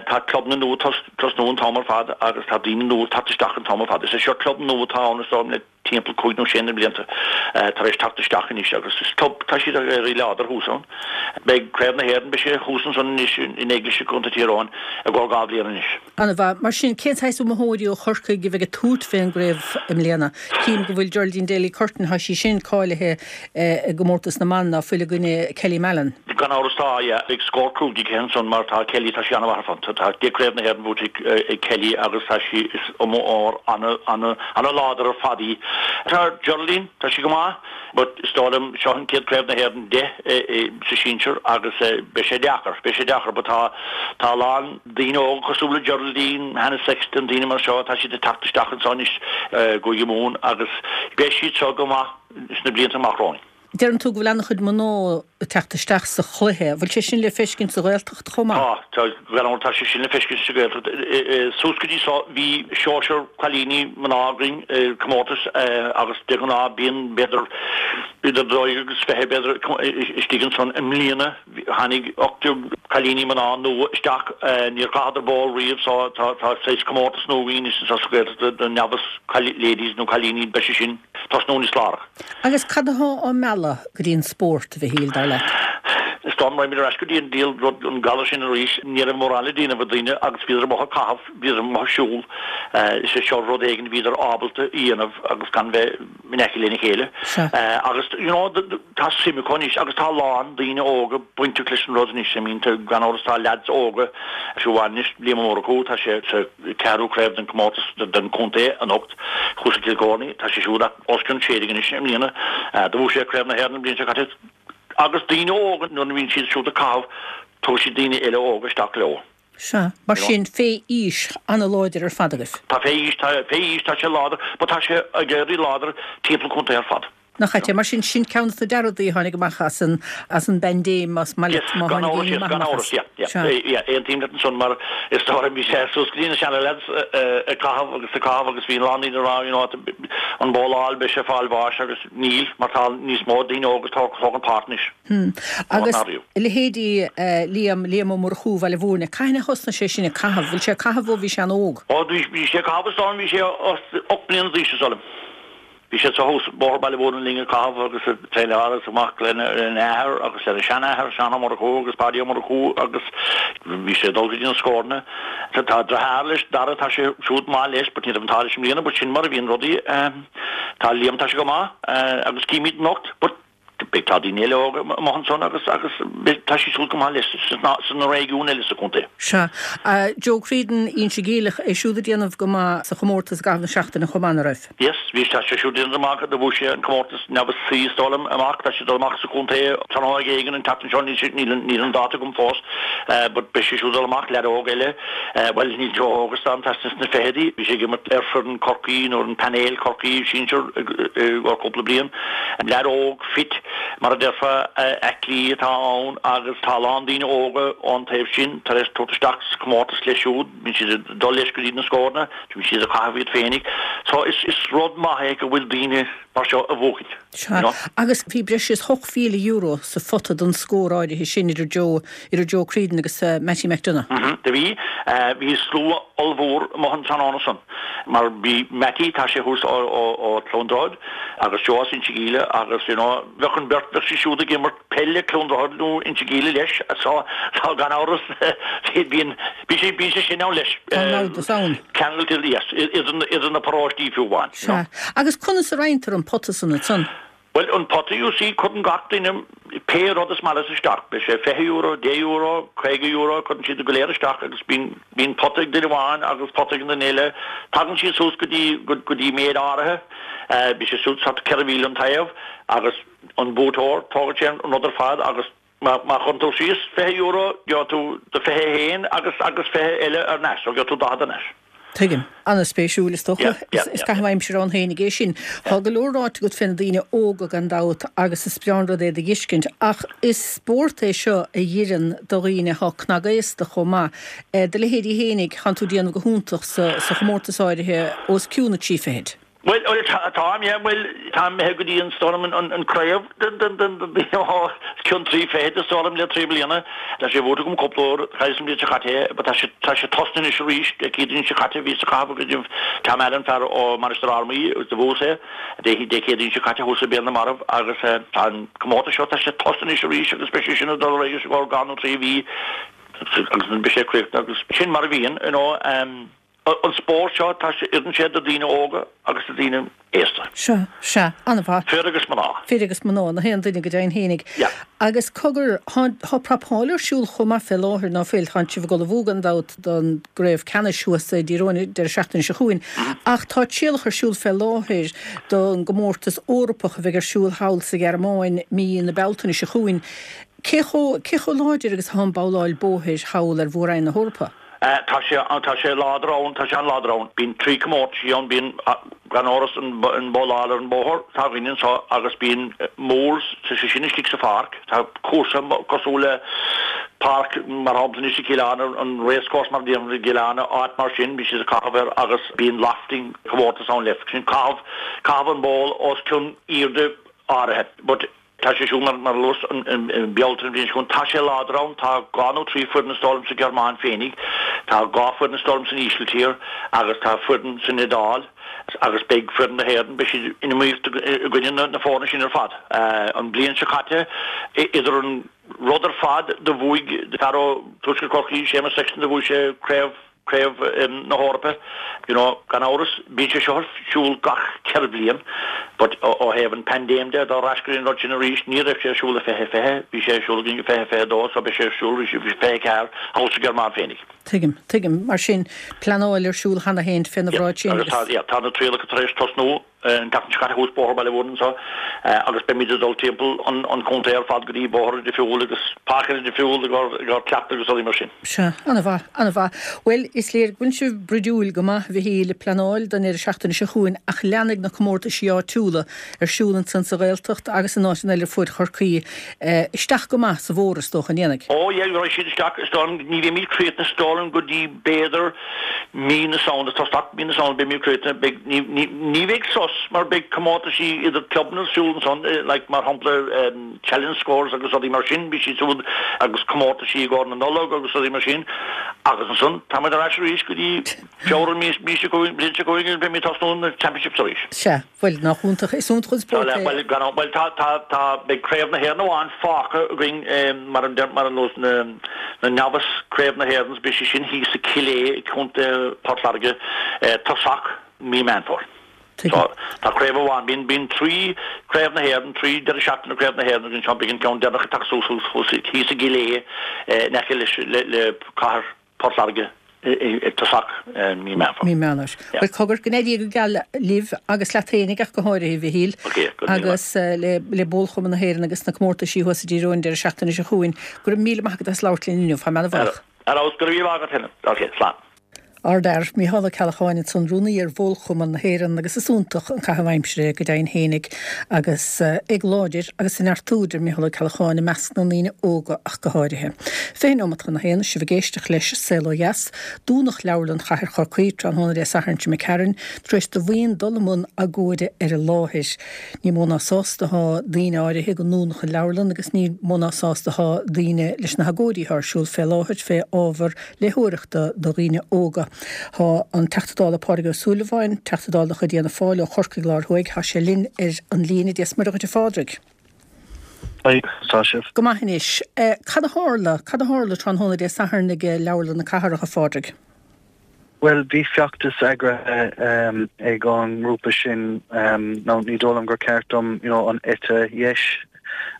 tá clubanna nua tosnú an t-am ar fad agus tá daoine nua ag teacht isteach an t-am ar fad is é seo club nua atá ann is dóigh liom le timpeall cúig nó sé na blianta tar éis teacht isteach anois agus is club, tá siad ag éirí láidir thuas ann. Beidh Craobh na hÉireann, beidh sé thuas ansan anois in Éiglise i gContae Thír Eoghain i gcomhair 2 bhliain anois. An-mhaith. Mar sin, cén saghas iomaitheoirí ó Chorcaigh a bheidh ag tabhairt fén gcraobh i mbliana? Cím go bhfuil Geraldine Daly Curtin, thá sí sin cáilithe i gcomórtas na mban, ná fuil i gcoinne Kelly Mallon. Gan amhras tá, yeah. Beidh scór cruaidh aici ansan mar tá Kelly, tá sí an-mhaith ar fad. Tá deich Craobh na hÉireann buaite ag Kelly agus tá sí, is iomaitheoir ana-láidir ar fad í. Tá Geraldine, tá sí go maith but is dóigh liom seo an chéad Craobh na hÉireann di sa sinsir agus beidh sé deacair, beidh sé deacair but tá, tá a lán daoine óga cosúil le Geraldine, Hannah Sexton, daoine mar seo, tá siad ag teacht isteach anseo anois i gCúige Mumhan agus beidh siad seo go maith sna blianta amach romhainn. Deireann tú go bhfuil an-chuid mná ag teacht isteach sa chluiche. An bhfuil sé sin le feiscint sa Ghaeltacht chomh maith? Tá, tá, gan amhras tá sé sin le feiscint sa Ghaeltacht. Suas go dtí seo bhí seisear cailíní mná againn i comórtas agus de ghnáth bíonn b'fhéidir idir 22 agus 20 b'fhéidir istigh ansan. I mbliana tháinig 18 cailíní mná nua isteach, níor chaitheadar bowl riamh so tá saghas comórtas nua againn anois anseo sa Ghaeltacht do novice ladies nó cailíní beidh sé sin tosnú níos láithreach. Agus cad atá á mealladh go dtí an spórt, a Mhichíl, dar leat? Is dóigh liom, raghaimid ar ais go dtí an diabhal rud, an galar sin arís. Ní raibh mórán le déanamh ag daoine agus bhíodar amuigh ag caitheamh, bhíodar amuigh ag siúl. Is é seo rud éigin a bhíodar ábalta a dhéanamh agus gan bheith in aice lena chéile. Agus, you know, tá suim acu anois agus tá a lán daoine óga bainteach leis an rud anois. I mean, gan amhras tá leaids óga, fiú amháin anois, Liam Ó Murchú, tá sé sa ceathrú craobh den comórtas den chontae anocht thuas i gCill Choirní. Tá sé siúd os cionn 16 anois i mbliana. Do bhuaigh sé Craobh na hÉireann an bhliain seo caite. Agus daoine óga nuair a bhíonn siad siúd ag caitheamh tugann siad daoine eile óga isteach leo. Sea. Mar sin, fé aois ana-láidir ar fad agaibh. Tá fé aois, tá fé aois, tá sé láidir, but tá sé ag éirí láidir timpeall an chontae ar fad. Nach ait é? Mar sin, sin ceann de na dea-rudaí a tháinig amach as an, as an bpaindéim, más maith leat, má tháinig Gan aon amhras, ní yes, maith gan amach amhras, as. yeah, yeah, Sea. yeah, aontaím leat ansan mar is dóigh liom bhí sé suas go dtí na seana-lads ag caitheamh agus ag caitheamh agus bhí a lán daoine ag rá, you know, an bowláil, beidh sé ag fáil bháis agus níl mar tá níos mó daoine óga ag tógaint páirt anois. Hmm. Ná Agus ná riamh. leithéidí Liam, Liam Ó Murchú, Bhaile Mhúirne, cathain a thosnaigh sé sin ag caitheamh? Bhfuil sé ag caitheamh ó bhí sé an-óg? Ó bhí, bhí sé ag caitheamh is dóigh liom bhí sé 8 mbliana d'aois is dóigh liom. Bhí sé thuas Bóthar Bhaile Mhúirne linn ag caitheamh agus ag traenáil agus amach lena athair agus lena seanathair, Seán Ó Murchú agus Páidí Ó Murchú agus bhí sé ag dul go dtí na scóranna. Tá deartháir leis, Dara, tá sé siúd maith leis but ní raibh an t-ádh leis i mbliana but sin mar a bhíonn rudaí. Tá Liam, tá sé go maith agus címid anocht but beidh tá daoine eile óga amuigh ansan agus agus beidh tá siad siúd go maith leis sna réigiúin eile sa chontae. Sea. Joe Creedon, Inse Geimhleach, é siúd ag déanamh go maith sa chomórtas i gcaitheamh na seachtaine chomh maith, ná raibh? Yes, bhí tá sé siúd ag déanamh amach, do bhuaigh sé an comórtas Novice C is dóigh liom amach, tá sé ag dul amach sa chontae tráthnóna éigin an tseachtain seo, níl sé, níl an, níl an dáta agam fós, but beidh sé siúd ag dul amach, leaid óg eile, bhuel níl sé chomh hóg is tá, tá sé sna fichidí, bhí sé ag imirt ar foireann Chorcaí nó ar an painéal Chorcaí sinsir ar cúpla bliain, leaid óg fit mar a déarfá, aclaí atá ann agus tá a lán daoine óga ón taobh sin tar éis tabhairt isteach sa chomórtas leis siúd. Bíonn siad ag dul leis go dtí na scóranna, bíonn siad ag caitheamh iad féinig. So is is rud maith é go bhfuil daoine mar seo ag buachaint, Sea, you know. agus bhí breis is €8,000 sa phota don scór áirithe sin idir Joe, idir Joe Creedon agus Mattie McDonagh. Mhm, do bhí. Bhí slua ollmhór amuigh an tráthnóna san. Mar bhí Mattie, tá sé thuas ó ó ó Cluain Droichead, agus Joe as Inse Geimhle agus you know, bheadh an bheirt, bheadh siad siúd ag imirt peile Cluain Droichead nó Inse Geimhle leis so so gan amhras bíonn bíonn sé bíonn sé sin ann leis. Tá an namhdas ann. Ceangailte yes idir na idir na paróistí fiú amháin. You know. Sea. Agus conas a roinntear an pota san ansan? Bhuel an pota you see cuireann gach duine pé rud is maith leis isteach. Beidh sé €20, €10, €50, cuireann siad go léir isteach agus bíonn bíonn pota ag duine amháin agus pota ag an duine eile. Tagann siad suas go dtí go dtí méid áirithe. Bíonn sé suas thart 4,000 an taobh agus an buaiteoir, tógann sé an rud ar fad agus má chuireann tú síos €20, gheobhaidh tú do 21 agus agus 20 eile thar n-ais, so gheobhaidh tú 40 thar n-ais. Tuigim. An-spéisiúil, is dócha. Yeah, yeah, Is yeah. caitheamh aimsire ann féinig é sin. Tá go leor ráite agat fé na daoine óga gan dabht agus is breá an rud é do dh'fheiscint ach is spórt é seo a dh'oireann do dhaoine atá cnagaosta chomh maith. Do leithéidí fhéinig, thánn tú ag déanamh go hiontach sa chomórtas áirithe os cionn na dtrí fichid. Bhuel, bhuel, táim, yeah, bhuel, táim imithe go dtí an, is dóigh liom, an craobh den, den, den, den, den, os cionn 3 fichid, is dóigh liom, le 3 bliana. Tá sé buaite agam cúpla uair, chailleas an bhliain seo caite é, but tá sé, tá sé tosnaithe anois arís, Dé Céadaoin seo caite, bhíos ag caitheamh i gcoinnibh Tom Allen, fear ó Mainistir Fhear Maí, agus do bhuas é, Dé, Dé Céadaoin seo caite thuas i Béal na Marbh, agus tá an comórtas seo, tá sé tosnaithe anois arís agus beidh sé sin ag dul ar aghaidh os a gcomhair dhá nó trí mhí agus beidh sé críochnaithe agus sin mar a bhíonn, you know, An spórt seo, tá sé, oireann sé do daoine óga agus do daoine aosta. Sea, sea, an-mhaith. Fir agus mná. Fir agus mná, na haon duine go deimhin fhéinig. Yeah. Agus cogar, thá, thá prapáil ar siúl chomh maith fé láthair, ná fuil? Tánn sibh ag ullmhú gan dabht don gcraobh ceannais thuas i dTír Eoghain an deireadh seachtaine seo chugainn. Ach tá trialacha ar siúl fé láthair don gcomórtas Eorpach a bheidh ar siúl thall sa Ghearmáin mí na Bealtaine seo chugainn. Cé chomh, cé chomh láidir agus athá an babhláil bóthair thall ar Mhór-Roinn na hEorpa? Tá sé, tá sé láidir ann, tá sé an-láidir ann. Bíonn trí comórtaisí ann, bíonn, gan amhras, an bhabhláil ar an bóthar atá againn anseo agus bíonn moles, tá sé sin istigh sa pháirc, tá cúrsa cosúil le páirc, mar shampla anois i gCill Airne, an racecourse mar a déarfainn i gCill Airne, áit mar sin, bíonn siad ag caitheamh air agus bíonn lofting comórtas ann leis, sin caitheamh, caitheamh an ball os cionn airde áirithe. But. Tá sé siúd mar a luas i Bealtaine an bhliain seo chugainn. Tá sé láidir ann. Tá dhá nó trí foireann is dóigh liom sa Ghearmáin féinig. Tá dhá foireann is dóigh liom san Ísiltír agus tá foireann san Iodáil agus beidh foireann na hÉireann, beidh siad in iomaíocht i gcoinne na foirne sin ar fad. An bhliain seo caite, idir an rud ar fad do bhuaigh fear ó Tuaisceart Chorcaí, Séamus Sexton, do bhuaigh sé craobh Craobh na hEorpa, you know, gan amhras, bíonn sé seo ar siúl gach 4 bliain, but ó thaobh an paindéim de, dá ais go dtí an rud sin arís, ní raibh sé ar siúl i 2020, bhí sé ar siúl againn i 2022, so beidh sé ar siúl arís i 24, thall sa Ghearmáin féinig. Tuigim, tuigim. Mar sin, pleanáil ar siúl cheana féin fé na Yeah, bhráid sin agus tá, agus. yeah, tá na trialacha tar éis tosnú. an tseachtain seo caite thuas Bóthar Bhaile Mhúirne anseo agus beimid ag dul timpeall an chontae ar fad go dtí bóithre difriúla agus páirceanna difriúla i gcomhair cleachtadh agus rudaí mar sin. Sea, an-mhaith, an-mhaith. Bhuel, is léir go bhfuil sibh bruidiúil go maith, a Mhichíl, ag pleanáil don deireadh seachtaine seo chugainn ach leanfaidh na comórtaisí áitiúla ar siúl ansan sa Ghaeltacht agus in áiteanna eile ar fuaid Chorcaí isteach go maith sa bhfómhar, is dócha, an ndéanfaidh? Ó yeah, raghaidh siad isteach, is dóigh liom, ní bheimid críochnaithe is dóigh liom go dtí b'fhéidir mí na Samhna, tosach mí na Samhna beimid críochnaithe, beidh, ní, ní, ní bheidh sos mar beidh comórtaisí idir clubanna ar siúl ansan, like mar shampla Challenge Scores agus rudaí mar sin, beidh siad siúd agus comórtaisí i gcomhair na Nollag agus rudaí mar sin agus ansan táimid ar ais arís go dtí Feabhra mí, mí seo chugainn, bliain seo chugainn agus beimid ag tosnú na Championships arís. Sea. Bhuel, nach iontach, is iontach an spórt é. Bhuel, gan amhras, bhuel, tá, tá, tá, beidh Craobh na hÉireann amháin fágtha againn mar a deir, mar a nós na, na Novice Craobh na hÉireann, beidh sé sin thíos i Cill Aodha i gContae Port Láirge, tosach mí Meán Fómhair. Tuigim. Tá craobh amháin, bíonn, bíonn trí Craobh na hÉireann, trí deireadh seachtaine Craobh na hÉireann againn seo, beidh an ceann deireanach ag teacht suas thuas, thíos i gCill Aodha in aice leis, le, le cathair Port Láirge ag tosach mí Meán Fómhair. Mí Meán Fómhair. Bhuel, cogar, go n-éirí go geal libh agus leat fhéinig ach go háirithe, a Mhichíl, agus le Bólchumann na hÉireann agus na comórtaisí thuas i dTír Eoghain an deireadh seachtaine seo chugainn. Go raibh míle maith agat as labhairt linn inniu. Tá mé ana-bhuíoch. Ar fheabhas, go raibh míle maith agat féin. Ok, slán. Ardfhear, Mícheál Ó Ceallacháin ansan, Rúnaí ar Bhólchumann na hÉireann agus is iontach an caitheamh aimsire go deimhin fhéinig agus ag láidir agus ag neartú deir Mícheál Ó Ceallacháin i measc na ndaoine óga ach go háirithe. 20 nóimeat chun a haon, sibh ag éisteacht leis Saol Ó Dheas. Dúnadh Leabharlann Chathair Chorcaí tráthnóna Dé Sathairn seo imigh tharainn tar éis do bhuíon dul i mbun agóide ar an láthair. Ní mó ná sásta atá daoine áirithe go ndúnadh an leabharlann agus ní mó ná sásta atá daoine leis na hagóidí atá ar siúl fé láthair fé ábhar léitheoireachta do dhaoine óga. Tá an Teachta Dála Pádraig Ó Súilleabháin, Teachta Dála de chuid Fhianna Fáil ó Chorcaigh Láir Thuaidh, tá sé linn ar an líne. Dia 's Muire dhuit a Phádraig. Haigh, conas tá sibh? Go maith anois. Cad a tharla, cad a tharla tráthnóna Dé Sathairn ag Leabharlann na Cathrach, a Phádraig? Bhuel, bhí feachtas eagraithe ag an ngrúpa sin, now ní dóigh liom gur ceart dom, you know, an eite dheis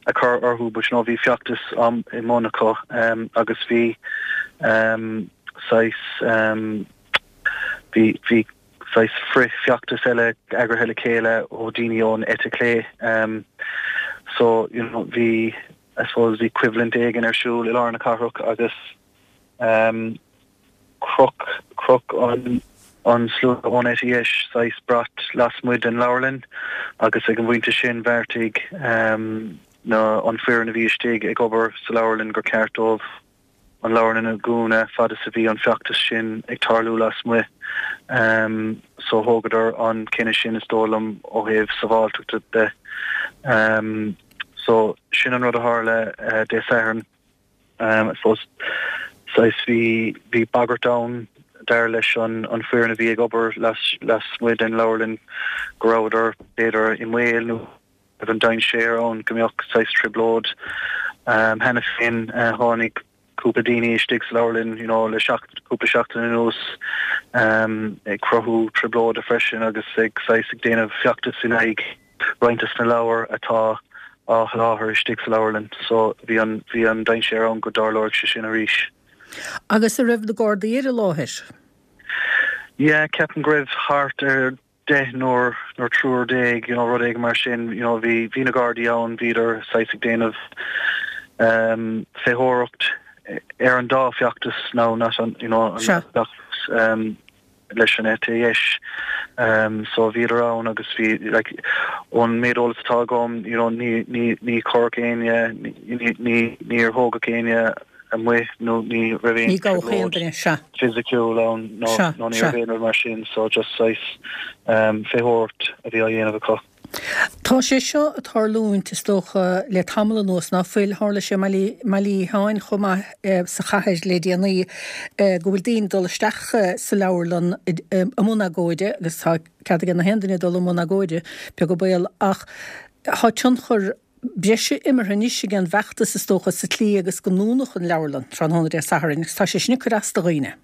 a chur orthu but you know bhí feachtas i mbun acu agus bhí saghas bhí bhí saghas frith-fheachtas eile eagraithe le chéile ó daoine ón eite chlé so you know bhí I suppose bhí coimhlint éigin ar siúl i lár na cathrach agus Chroch, chroch an an slua ón eite dheis saghas brat lasmuigh den leabharlann agus ag an bpointe sin bheartaigh na an foireann a bhí istigh ag obair sa leabharlann gur ceart dóibh an leabharlann a dhúnadh fad is a bhí an feachtas sin ag tarlú lasmuigh. So thógadar an cinneadh sin is dóigh liom ó thaobh sábháilteachta de. So sin an rud a tharla Dé Sathairn. I suppose saghas bhí bhí bagairt ann dar leis an an foireann a bhí ag obair las lasmuigh den leabharlann go rabhadar b'fhéidir i mbaol nó raibh an dainséar ann go mbeadh saghas trioblóid. Cheana féin tháinig cúpla daoine istigh sa leabharlann you know le seacht cúpla seachtain anuas ag cruthú trioblóide freisin agus ag saghas ag déanamh feachtas in aghaidh roinnt des na leabhair atá á sholáthar istigh sa leabharlann so bhí an bhí an dainséar ann go dtarlódh sé sin arís. Agus an raibh na Gardaí ar an láthair? Yeah, ceapaim go raibh thart ar deichniúr nó triúr déag, you know, rud éigin mar sin, you know, bhí bhí na Gardaí ann, bhíodar saghas ag déanamh ehm féitheoireacht ar an dá feachtas now not an you know an feachtas ehm leis an eite dheis. So bhíodar ann agus bhí like ón méid eolas atá agam you know ní ní ní cuireadh éinne ní ní níor thógadh éinne amuigh nó ní raibh aon Ní gabhadh aon duine, sea. fisiciúil ann nó Sea, nó ní sea. raibh aon rud mar sin so just saghas féitheoireacht a bhí á dhéanamh acu. Tá sé seo ag tarlúint, is dócha, le tamall anuas, ná fuil? Tharla sé i mBaile Uí Sheáin chomh maith sa chathair le déanaí, go bhfuil daoine ag dul isteach sa leabharlann i mbun agóide, agus tá cead ag na haon duine dul i mbun agóide, beag an baol, ach tá tionchar breise imeartha anois ag an bhfeachtas, is dócha, sa tslí agus go ndúnadh an leabharlann tráthnóna Dé Sathairn, agus tá sé sin ag cur as do dhaoine.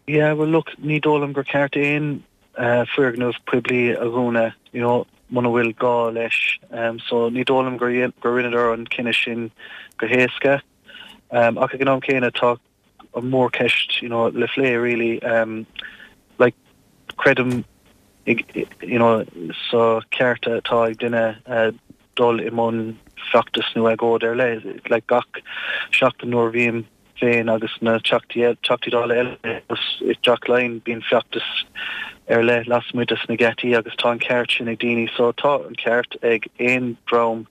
Yeah, well look, ní dóigh liom gur ceart aon foirgneamh poiblí a dhúnadh, you know, muna bhfuil gá leis. So ní dóigh liom gur gur rinneadar an cinneadh sin go héasca. Ach ag an am céanna tá an mhórcheist, you know, le phlé really. Like, creidim. You know sa ceart atá ag duine dul i mbun feachtas nó agóid ar leith. Like gach seachtain nuair a bhím féin agus na Teachtaí Teachtaí Dála eile i dTeach Laighean bíonn feachtas ar leith lasmuigh des na geataí agus tá an ceart sin ag daoine. So tá an ceart ag aon dream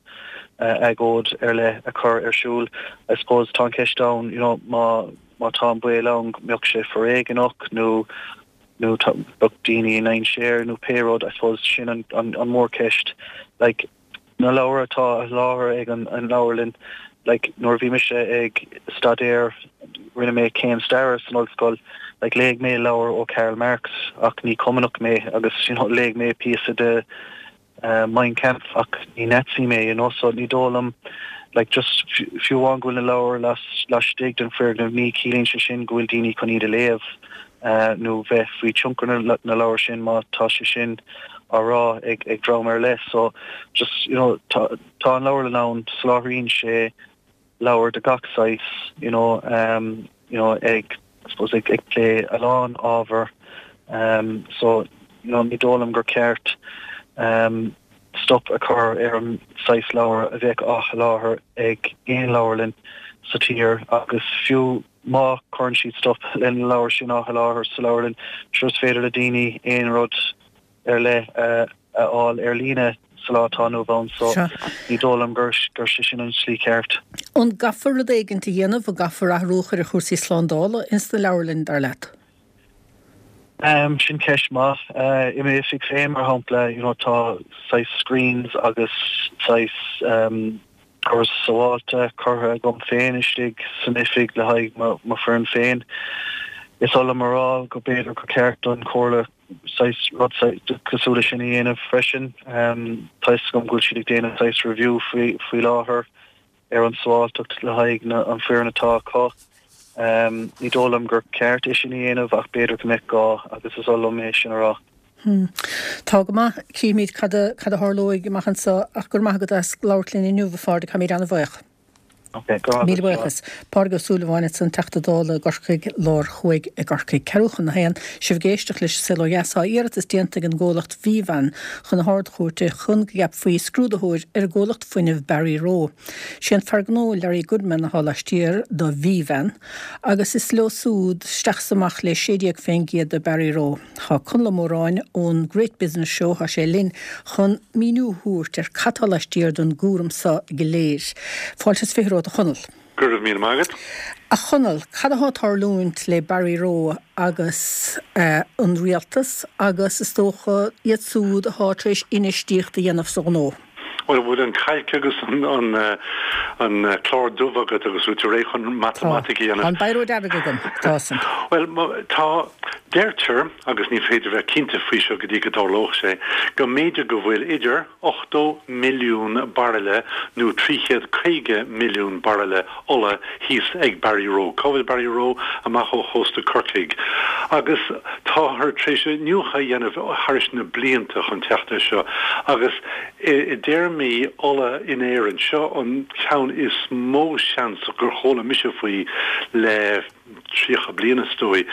agóid ar leith a chur ar siúl. I suppose tá an cheist ann you know má má tá an baol ann go mbeadh sé foréigeanach nó nó bheadh daoine i ndainséar nó pé rud, I suppose sin an an an mhórcheist. Like na leabhair atá á sholáthar ag an an leabharlann, like nuair a bhí mise ag staidéar, rinne mé céim staire san ollscoil, like léigh mé leabhar ó Karl Marx ach ní Cumannach mé agus you know léigh mé píosa de Mein Kampf ach ní Nazi mé, you know, so ní dóigh liom, like just fiú amháin go bhfuil na leabhair laistigh den foirgneamh ní chiallaíonn sé sin go bhfuil daoine chun iad a léamh nó bheith faoi tionchar na leabhar sin má tá sé sin á rá ag ag dream ar leith. So just, you know, tá tá an leabharlann ann, soláthraíonn sé leabhair de gach saghas, you know, you know, ag, I suppose, ag, ag plé a lán ábhar, so, you know, ní dóigh liom gur ceart stop a chur ar an saghas leabhar a bheadh á sholáthar ag aon leabharlann sa tír agus fiú má chuireann siad stop le na leabhair sin á sholáthar sa leabharlann, sure is féidir le daoine aon rud ar leith a fháil ar líne sa lá atá inniu ann so ní dóigh liom gur sé sin an tslí cheart. An gcaithfear rud éigint a dhéanamh, an gcaithfear athrú a chur ar chúrsaí slándála ins na leabharlainn, dar leat? Sin ceist maith. I m'oifig féin, mar shampla, you know tá saghas screens agus saghas doras sábháilte curtha agam féin istigh san oifig le haghaidh mo foireann féin. Is oth liom a rá go b'fhéidir gur ceart don Chomhairle saghas rud cosúil leis sin a dhéanamh freisin. Tá fhios agam go bhfuil siad ag déanamh saghas review faoi faoi láthair ar an sábháilteacht le haghaidh na an foireann atá acu. Ní dóigh liom gur ceart é sin a dhéanamh ach b'fhéidir go mbeadh gá agus is oth liom é sin a rá. Tá go maith. Cífimid cad a cad a tharlóidh amach anseo ach go raibh maith agat as labhairt linn inniu, a Phádraig, táimid an-bhuíoch. Míle buíochas. Pádraig Ó Súilleabháin ansan, Teachta Dála i gCorcaigh Lár Thuaidh i gCorcaigh. Ceathrú chun a haon, sibh ag éisteacht leis an Saol Ó Dheas. Tá iarratas déanta ag an gcomhlacht Vivan chun na hArd-Chúirte chun go gceapfaí scrúdaitheoir ar an gcomhlacht fuinnimh Barryroe. Sé an fear gnó Larry Goodman atá laistiar do Vivan agus is leo súd isteach is amach le 16% de Barryroe. Tá Conall Ó Móráin ón Great Business Show, tá sé linn chun míniú a thabhairt ar cad tá laistiar den gcúram so go léir. Fáilte is 20 romhat a Chonaill. Go raibh míle maith agat. A Chonaill, cad athá ag tarlúint le Barryroe agus an rialtas agus is dócha iad súd athá tar éis infheistíocht a dhéanamh sa ghnó? Bhuel, an bhfuil an cailc agus an clár dubh agat agus bhfuil tú réidh chun matamaitic a dhéanamh? Tá an biro dearg agam, tá san. Bhuel, tá, deirtear, agus ní féidir bheith cinnte faoi seo go dtí go dtarlódh sé, go mb'fhéidir go bhfuil idir 80 milliún bairille nó 350 milliún bairille ola thíos ag Barryroe. Cá bhfuil Barryroe? Amach ó chósta Corcaigh. Agus táthar tar éis iniúchadh a dhéanamh thairis na blianta chun teacht air seo agus i dtéarmaí ola in Éirinn, seo an ceann is mó seans gur chuala mise faoi le 30 bliain is dóigh,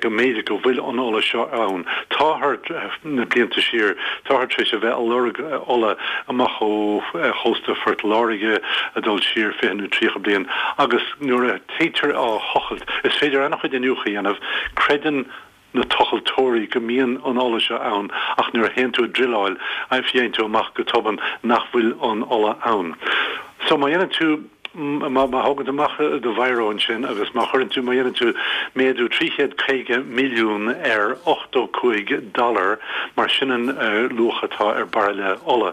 go mb'fhéidir go bhfuil an ola seo ann. Táthar, na blianta siar, táthar tar éis a bheith a lorg ola amach ó chósta Phort Láirge, ag dul siar 20 nó 30 bliain, agus nuair a téitear á thochailt, is féidir an-chuid iniúchadh a dhéanamh, creideann na tochaltóirí go mbíonn an ola seo ann ach nuair a théann tú ag druileáil, faigheann tú amach go tobann nach bhfuil an ola ann. So má dhéanann tú, má thógann tú amach do bhiro ansin agus má chuireann tú, má dhéanann tú méadú 350 milliún ar 85 dollar, mar sin an luach atá ar bairille ola,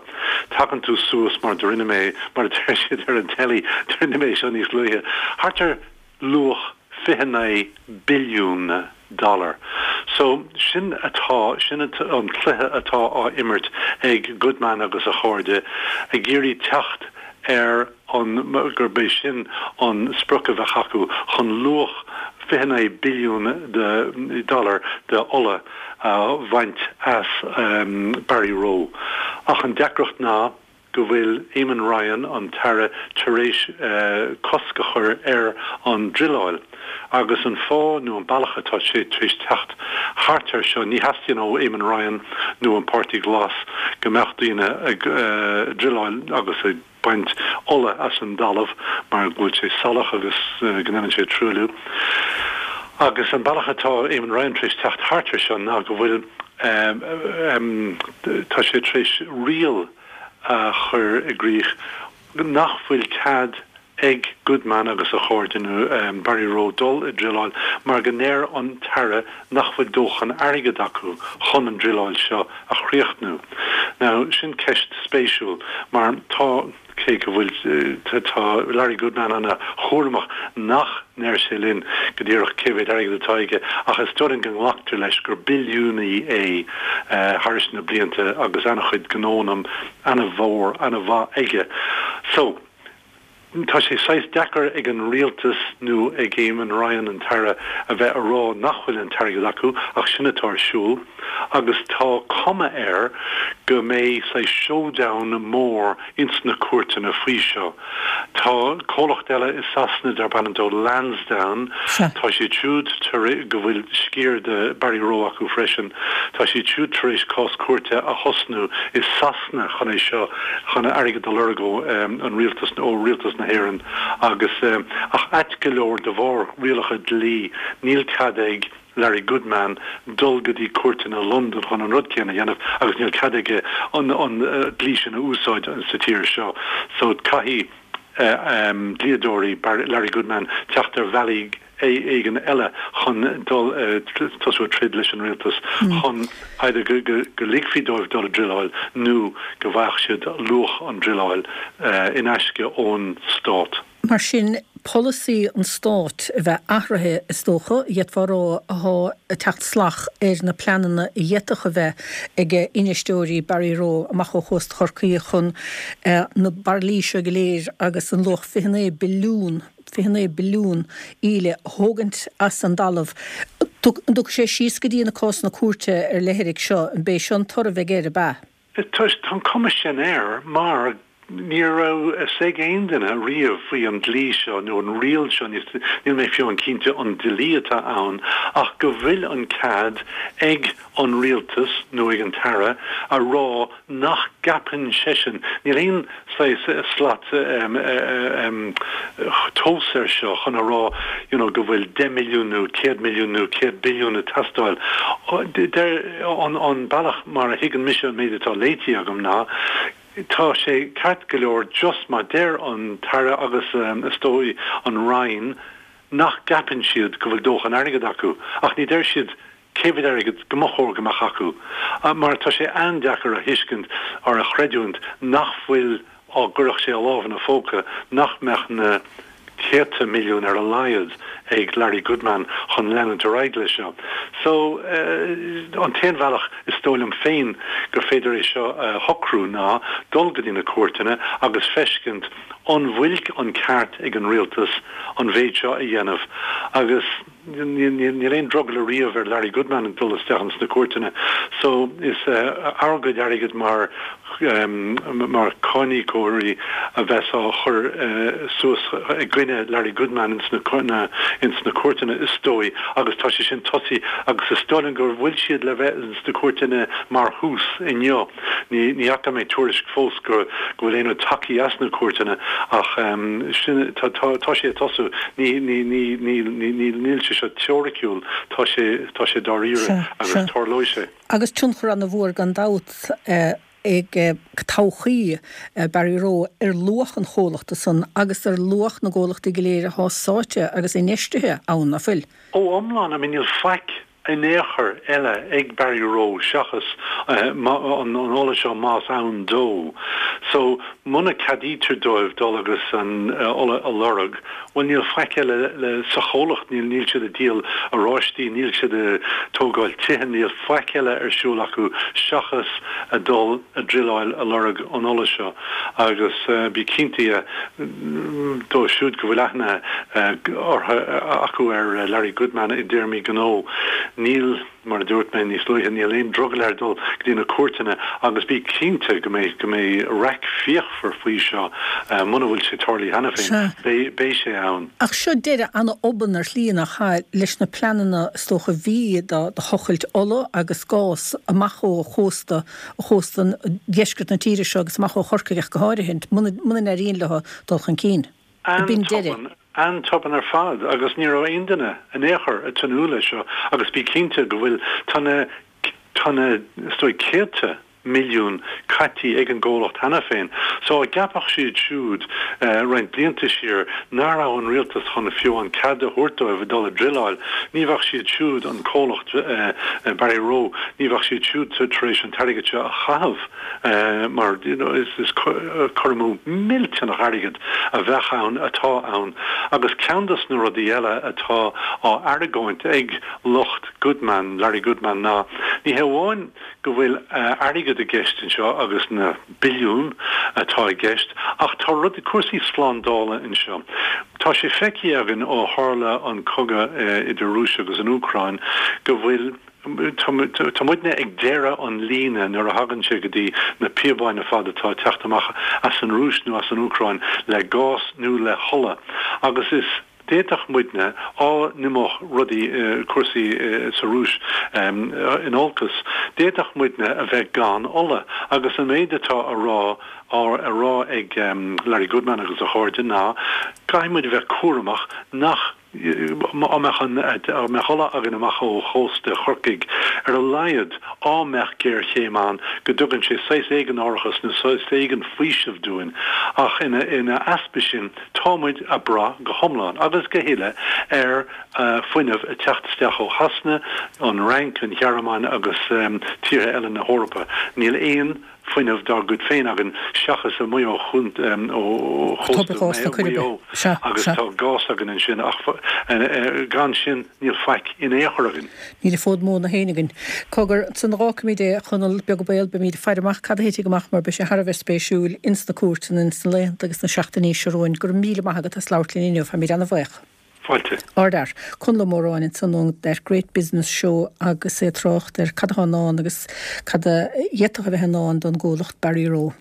tagann tú suas, mar do rinne mé, mar a deir siad ar an teilí, do rinne mé seo níos luaithe, thart ar luach 29 billiún dollar. So, sin atá, sin an cluiche atá á imirt ag Goodman agus a chairde, ag iarraidh teacht ar an, gurb é sin an sprioc a bheadh acu, chun luach 29 billiún de dollar de ola a bhaint as Barryroe. Ach an deacracht ná. go bhfuil Eamon Ryan, an tAire, tar éis cosc a chur ar an druileáil. Agus an fáth nó an bealach atá sé tar éis teacht thart air seo, ní theastaíonn ó Eamon Ryan nó an Páirtí Glas go mbeadh daoine ag druileáil agus ag baint ola as an dtalamh mar go bhfuil sé salach agus go ndéanann sé truailliú. Agus an bealach atá Eamon Ryan tar éis teacht thart air seo ná go bhfuil, tá sé tar éis riail a chur i gcrích nach bhfuil cead ag Goodman agus a chairde nó Barryroe dul ag druileáil mar go ndeir an tAire nach bhfuil dóthain airgid acu chun an druileáil seo a chríochnú. Now, sin ceist spéisiúil mar tá, cé go bhfuil, tá Larry Goodman ana chúramach nach ndeir sé linn go díreach cé mhéad airgid atá aige ach is dóigh linn go nglactar leis gur billiúnaí é thairis na blianta agus ana-chuid gnónna ana-mhór, ana-mhaith aige. So. Tá sé saghas deacair ag an rialtas nó ag Eamon Ryan, an tAire, a bheith a rá nach bhfuil an t-airgead acu ach sin atá ar siúl agus tá cuma air go mbeidh saghas showdown mór ins na cúirteanna faoi seo. Tá comhlacht eile i Sasana darb ainm dó Lansdowne, tá siad siúd tar go bhfuil sciar de Barryroe acu freisin, tá siad siúd tar éis cás cúirte a thosnú i Sasana. chun é seo, chun airgead a lorg ó an rialtas, ó rialtas na hÉireann agus, ach ait go leor, de bharr rialacha dlí, níl cead ag Larry Goodman dul go dtí cúirteanna Londan chun an rud céanna a dhéanamh agus níl cead aige an dlí sin a úsáid sa tír seo. So caithfidh dlíodóirí Larry Goodman teacht ar bhealaí éigin eile chun dul, tosú ag troid leis an rialtas chun either go ligfí dóibh dul ag druileáil nó go bhfaigheadh siad luach an druileáil in aisce ón stát. Mar sin, polasaí an stáit a bheith athraithe, is dócha, d'fhéadfá a rá, athá ag teacht salach ar na pleananna a d'fhéadfadh a bheith ag infheisteoirí Barryroe amach ó chósta Chorcaí chun na bairillí seo go léir agus an luach 29 billiún 29 billiún íle a thógaint as an dtalamh. An dtiocfaidh sé síos go dtí na cásanna cúirte ar leithrigh seo? An b'é seo an toradh a bheidh air, ab ea? Tá an cuma sin air mar ní raibh a fhios ag aon duine riamh faoi an dlí seo nó an riail seo, níl mé fiú an cinnte an dlí atá ann, ach go bhfuil an cead ag an rialtas nó ag an tAire a rá nach gceapann seisean, níl aon saghas slat tomhais air seo chun a rá you know go bhfuil 10 milliún nó 100 milliún nó 100 billiún ag teastáil. Deir an bealach mar a thuigeann mise an méid atá léite agam ná tá sé ceart go leor just má deir an tAire agus is dóigh an Roinn nach gceapann siad go bhfuil dóthain airgid acu ach ní deir siad cé mhéad airgead go mba chóir go mbeadh acu, mar tá sé an-deacair a thuiscint or a chreidiúint nach bhfuil, á gcuirfeadh sé a lámh ina phóca, nach mbeadh na céadta milliún ar a laghad ag Larry Goodman chun leanúint ar aghaidh leis seo. So, an t-aon bhealach is dóigh liom féin gur féidir é seo a shocrú ná dul go dtí na cúirteanna agus feiscint an bhfuil an ceart ag an rialtas an mhéid seo a dhéanamh agus Níl aon drogall ariamh ar Larry Goodman ag dul isteach ins na cúirteanna so is ár gcuid airgid mar mar cáiníocóirí a bheas á chur suas i gcoinne Larry Goodman ins na ins na cúirteanna is dóigh agus tá sé sin tosaithe agus is dóigh liom go bhfuil siad le bheith ins na cúirteanna mar thús inniu. Ní fhaca mé tuairisc fós go bhfuil aon rud tagtha as na cúirteanna ach sin, tá sé ag tosú. Níl sé seo teoiriciúil, tá sé, tá sé dáiríre agus tarlóidh sé. Agus tionchar ana-mhór gan dabht ag todhchaí Barryroe ar luach an chomhlachta san agus ar luach na gcomhlachtaí go léir athá sáite agus infheistithe ann, ná fuil? Ó iomlán, I mean níl faic in aon chor eile ag Barryroe seachas an ola seo más ann dó. So, muna ceadaítear dóibh dul agus an ola a lorg, bhuel níl faic eile le sa chomhlacht, níl níl siad ag díol oráistí, níl siad ag tógáil tithe, níl faic eile ar siúl acu seachas a dul a druileáil a lorg an ola seo. Agus bí cinnte dóibh siúd go bhfuil aithne orthu acu ar Larry Goodman i dtéarmaí gnó. Níl, mar a dúirt mé níos luaithe, níl aon drogall air dul go dtí na cúirteanna agus bí cinnte go mbeidh, go mbeidh raic fíochmhar faoi seo muna bhfuil sé tarlaithe cheana féin. Beidh, beidh sé ann. Ach seo deireadh an-obann ar shlí nach ea leis na pleananna is dócha a bhí do thochailt ola agus gás amach ó chósta, chósta dheisceart na tíre seo agus amach ó Chorcaigh ach go háirithe, muna, muna n-éiríonn leo dul chun cinn. B'in deireadh. An-tobann, an-tobann ar fad agus ní raibh aon duine in aon chor ag tnúth leis seo agus bí cinnte go bhfuil, tá na, tá na, is dóigh céadta milliún caití ag an gcomhlacht cheana féin. So dá gceapfadh siad siúd roinnt blianta siar nach raibh an rialtas chun fiú an cead a thabhairt dóibh dul a druileáil, ní bheadh siad siúd, an comhlacht Barryroe, ní bheadh siad siúd tar éis an t-airgead seo a chaitheamh. mar you know is cur amú millteanach airgid a bheadh ann, atá ann. Agus ceann dos na rudaí eile atá á argóint ag lucht Goodman, Larry Goodman, ná ní hé amháin go bhfuil airgead i gceist anseo agus na billiúin atá i gceist ach tá rudaí, cúrsaí slándála anseo. Tá sé feicthe againn ó tharla an cogadh idir Rúis agus an Úcráin go bhfuil Tá muidne ag deireadh an líne nuair a thagann sé go dtí na píobáin ar fad atá ag teacht amach as an Rúis nó as an Úcráin le gás nó le hola agus is d'fhéadfadh muidne, á n-imeodh rudaí, cúrsaí sa Rúis in olcas, d'fhéadfadh muidne a bheith gan ola agus an méid atá a rá á rá ag Larry Goodman agus a chairde ná caithfidh muid a bheith cúramach nach Á mbeadh an, á mbeadh ola againn amach ó chósta Chorcaigh, ar a laghad, á mbeadh géarchéim ann, go dtugann sé saghas éigin árachas nó saghas éigin faoisimh dúinn. Ach ina, ina easpa sin, tá muid a' brath go hiomlán agus go huile ar fuinneamh a' teacht isteach ó Shasana, an Fhrainc, an Ghearmáin agus tíortha eile na hEorpa. Níl aon. fuinneamh dár gcuid féin againn seachas amuigh ó chósta Mhaigh Eo agus tá gás againn ansin ach gan sin níl faic in aon chor againn. Níl an fód móna féin againn. Cogar, ansan a dh'fhágfaimid é, a Chonaill, beag an baol, beimid ag faire amach cad a thitfidh amach mar beidh sé thar a bheith spéisiúil ins na cúirteanna ins na laethanta agus na seachtainí seo romhainn. Go raibh míle maith agat as labhairt linn inniu, táimid ana-bhaoch. Fáilte. Ardfhear. Conall Ó Móráin ansan ón That Great Business Show agus é ag trácht ar cad atá i ndán agus cad a d'fhéadfadh a bheith i ndán don gcomhlacht Barryroe.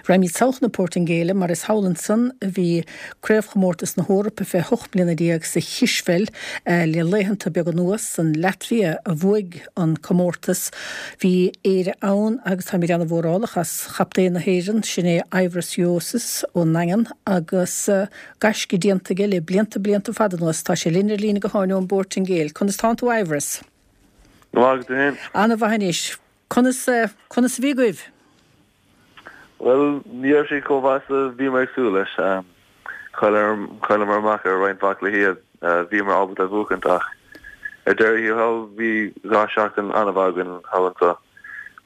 Raghaimid sall chun na Portaingéile mar is thall ansan a bhí Craobhchomórtas na hEorpa fé 18 mbliana sa chispheil le laethanta beaga anuas. An Laitvia a bhuaigh an comórtas. Bhí Éire ann agus táimid ana-mhórálach as chaptaen na hÉireann, sin é Aivaras Uosis ón nDaingean agus Gaisce déanta aige le blianta, blianta fada anuas. Tá sé linn ar líne gutháin ón bPortaingéil. Conas tánn tú Aivaras? Go maith agus tú féin? Ana-mhaith anois. Conas, conas a bhí agaibh? Bhuel, ní raibh sé chomh maith is a bhíomar ag súil leis. Chailleamar amach ar roinnt mhaith cluichí a bhíomar ábalta a bhuachaint ach ar deireadh thiar thall bhí 2 seachtain an-mhaith againn thall anseo.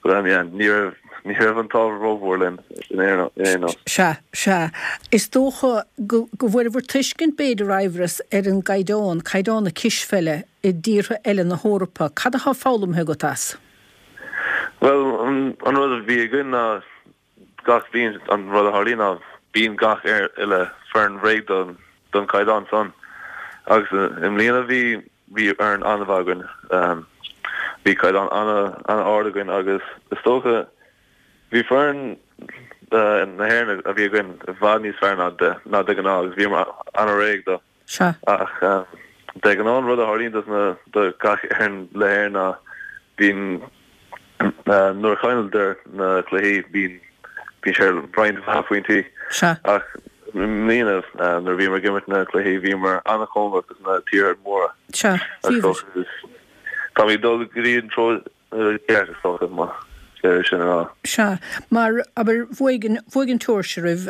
But um yeah, ní raibh, ní raibh an t-ádh rómhór linn in aon nós. Sea, sea. Is dócha go, go bhfuaireabhair tuiscint b'fhéidir, Aivaras, ar an gcaighdeán, caighdeán na cispheile i dtíortha eile na hEorpa. Cad atá foghlamtha agat as? Bhuel, an, an rud a bhí againn ná gach bliain an rud a tharlaíonn ná bíonn gach uile foireann réidh don, don chaighdeán san. Agus i mbliana bhí, Bhí foireann an-mhaith againn. Bhí caighdeán an-ard againn agus is dócha bhí foireann na hÉireann a bhí againn i bhfad níos fearr ná ná de ghnáth agus bhíomar an-réidh dó. Sea. Ach de ghnáth an rud a tharlaíonn dos na do gach fhoireann le hÉirinn ná bíonn Nuair a chailleadar na cluichí bíonn bíonn sé ar roinnt mhaith pointí. Sea. Ach i mbliana nuair a bhíomar ag imirt na cluichí bhíomar an-chóngarach dos na tíortha móra. Sea. Bhíobhair. Táimid ag dul go dtí an treo ceart is dócha más féidir sin a rá. Sea. Mar, abair, bhuaigh an, bhuaigh an tSeoirsia oraibh,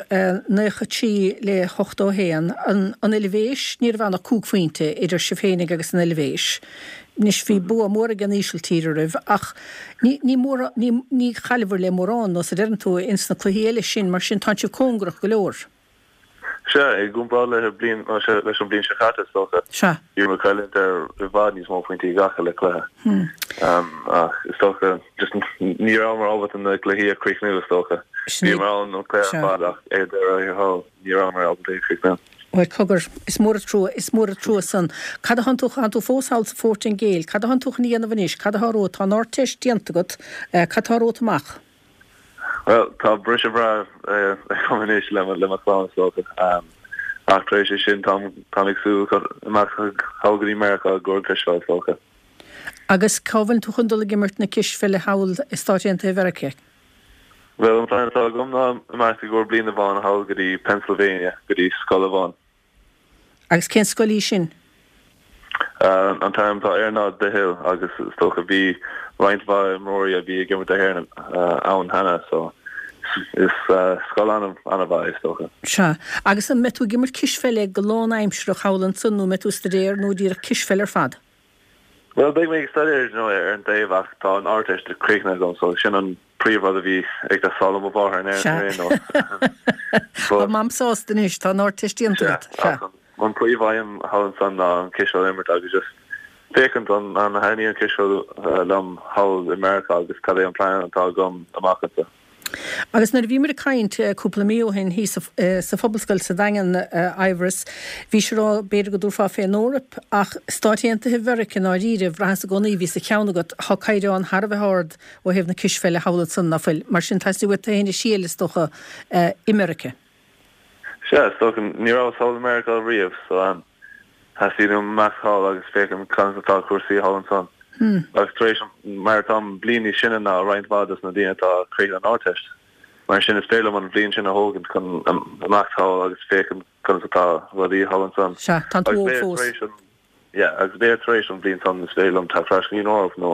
93 le 81. An, an Eilvéis, ní raibh ann ach cúig phointe idir sibh féinig agus an Eilvéis. Anois, bhí bua mór ag an Ísiltír oraibh ach ní, ní mór, ní, ní chailleabhair le mórán, nós a deireann tú, ins na cluichí eile sin, mar sin tánn sibh cóngarach go leor. Sea, i gcomparáid le bliain, leis an bliain seo caite, is dócha. Sea. Bhíomar ag cailliúint ar i bhfad níos mó pointí gach uile cluiche. Ach is dócha, just ní rabhamar ábalta na cluichí a chríochnú, is dócha. Sin é. Bhíomar ann an cluiche ar fad ach ar deireadh thiar thall, ní rabhamar ábalta é a chríochnú. Bhuel, cogar, is mór an trua, is mór an trua san. Cad a thánn tú, thánn tú fós thall sa Phortaingéil, cad a thánn tú chun a dhéanamh anois, cad atá romhat, tá an Ardteist déanta agat, cad tá romhat amach? Bhuel, tá briseadh breá agam anois le mo chlann, is dócha. Ach tar éis é sin, táim ag súil imeacht thall go dtí Meiriceá i gcomhair cispheil, is dócha. Agus cá bhfuil tú chun dul ag imirt na cispheile thall i Stáit Aontaithe Mheiriceá? Bhuel, an plean atá agam ná imeacht i gcomhair bliain amháin thall go dtí Pennsylvania, go dtí scoil amháin. Agus cén scoil í sin? An t-ainm atá air ná The Hill agus is dócha bhí roinnt mhaith imreoirí a bhí ag imirt do hÉirinn ann cheana so is scoil an-mhaith é is dócha. Sea. Agus an mbeidh tú ag imirt cispheile go lánaimsearach thall ansan nó an mbeidh tú ag staidéar nó díreach cispheil ar fad? Bhuel, beidh mé ag staidéar, you know, ar an dtaobh ach tá an Ardteist críochnaithe agam so sin an príomh rud a bhí ag teastáil ó mo mháthair in Sea. aon nós. Tá Mam sásta anois, tá an Ardteist déanta agat. Sea, ach an príomh aidhm thall ansan ná an cispheil a imirt agus just féachaint an an thaitníonn an cispheil liom thall i Meiriceá agus cad é an plean atá agam amach anseo. Agus nuair a bhíomar ag caint cúpla mí ó shin thíos sa Phobalscoil sa Daingean, Eibhris, bhís ag rá b'fhéidir go dtabharfá fén Eoraip ach Stáit Aontaithe Mheirice i ndáiríre, bhraitheas i gcónaí, bhí sa cheann agat, tá caighdeán thar a bheith ard ó thaobh na cispheile thall ansan, ná fuil? Mar sin, teastaíonn uait tú féin a thriail, is dócha, i Meirice. Sea, is dócha. Ní rabhas thall i Meiriceá riamh, so theastaigh uaim imeacht thall agus féachaint conas atá cúrsaí thall ansan. Agus tar éis, mar táim bliain níos sine ná roinnt mhaith dos na daoine atá ag críochnú an Ardteist, mar sin is féidir liom an bhliain sin a thógaint chun imeacht thall agus féachaint conas atá rudaí thall ansan. Sea, tánn tú óg fós. Yeah, agus b'fhéidir tar éis an bhliain san is féidir liom teacht ar ais go dtí an Eoraip nó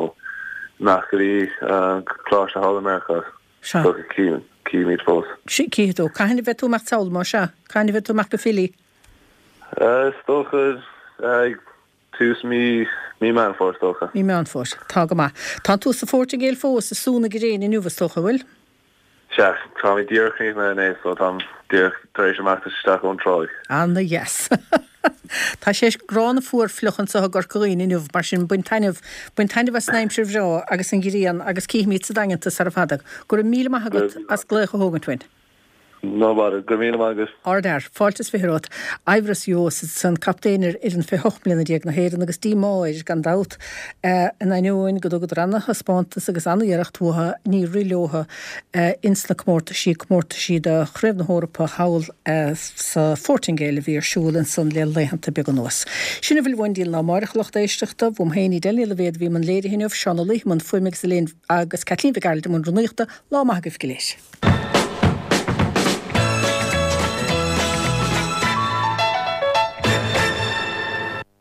imeacht go dtí coláiste thall i Meiriceá. Sea. So, cífimid fós. Cífidh tú. Cathain a bheidh tú ag imeacht sall, más ea? Cathain a bheidh tú ag imeacht go Philly? Is dócha ag tús mí mí Meán Fómhair, is dócha. Mí Meán Fómhair. Tá go maith. Tánn tú sa Phortaingéil fós, ag sú na gréine inniu, is dócha, an bhfuil? Sea, táimid díreach críochnaithe inné, so táim díreach tar éis imeacht isteach ón tráigh. Ana-dheas. Tá sé gránna fuar fliuch anseo i gCorca Dhuibhne inniu, mar sin bain taitneamh, bain taitneamh as an aimsir bhreá agus an ghrian agus cífimid sa Daingean tú sara fada. Go raibh míle maith agat as glaoch a thógaint uainn. No bother. Go raibh míle maith agat. Ardfhear. Fáilte is 20 romhat. Eibhris Joos ansan, captaen ar fhoireann 28 mbliana déag na hÉireann agus díomá air, gan dabht, in ainneoin go dtugadar ana-thaispeántas agus ana-iarracht uathu, níor rith leotha ins na comórtaisí, comórtaisí do Chraobh na hEorpa thall sa Phortaingéil a bhí ar siúl ansan le laethanta beaga anuas. Sin a bhfuil uainn go dtí an lá amáireach, a lucht éisteachta. Uaim féin, Edel Ní Loibhéad a bhí i mbun léirithe inniu, Seán Ó Laoithe i mbun fuaime agus Elaine agus Caitlín Mhic Gearailt i mbun rúnaíochta. Lá maith agaibh go léir.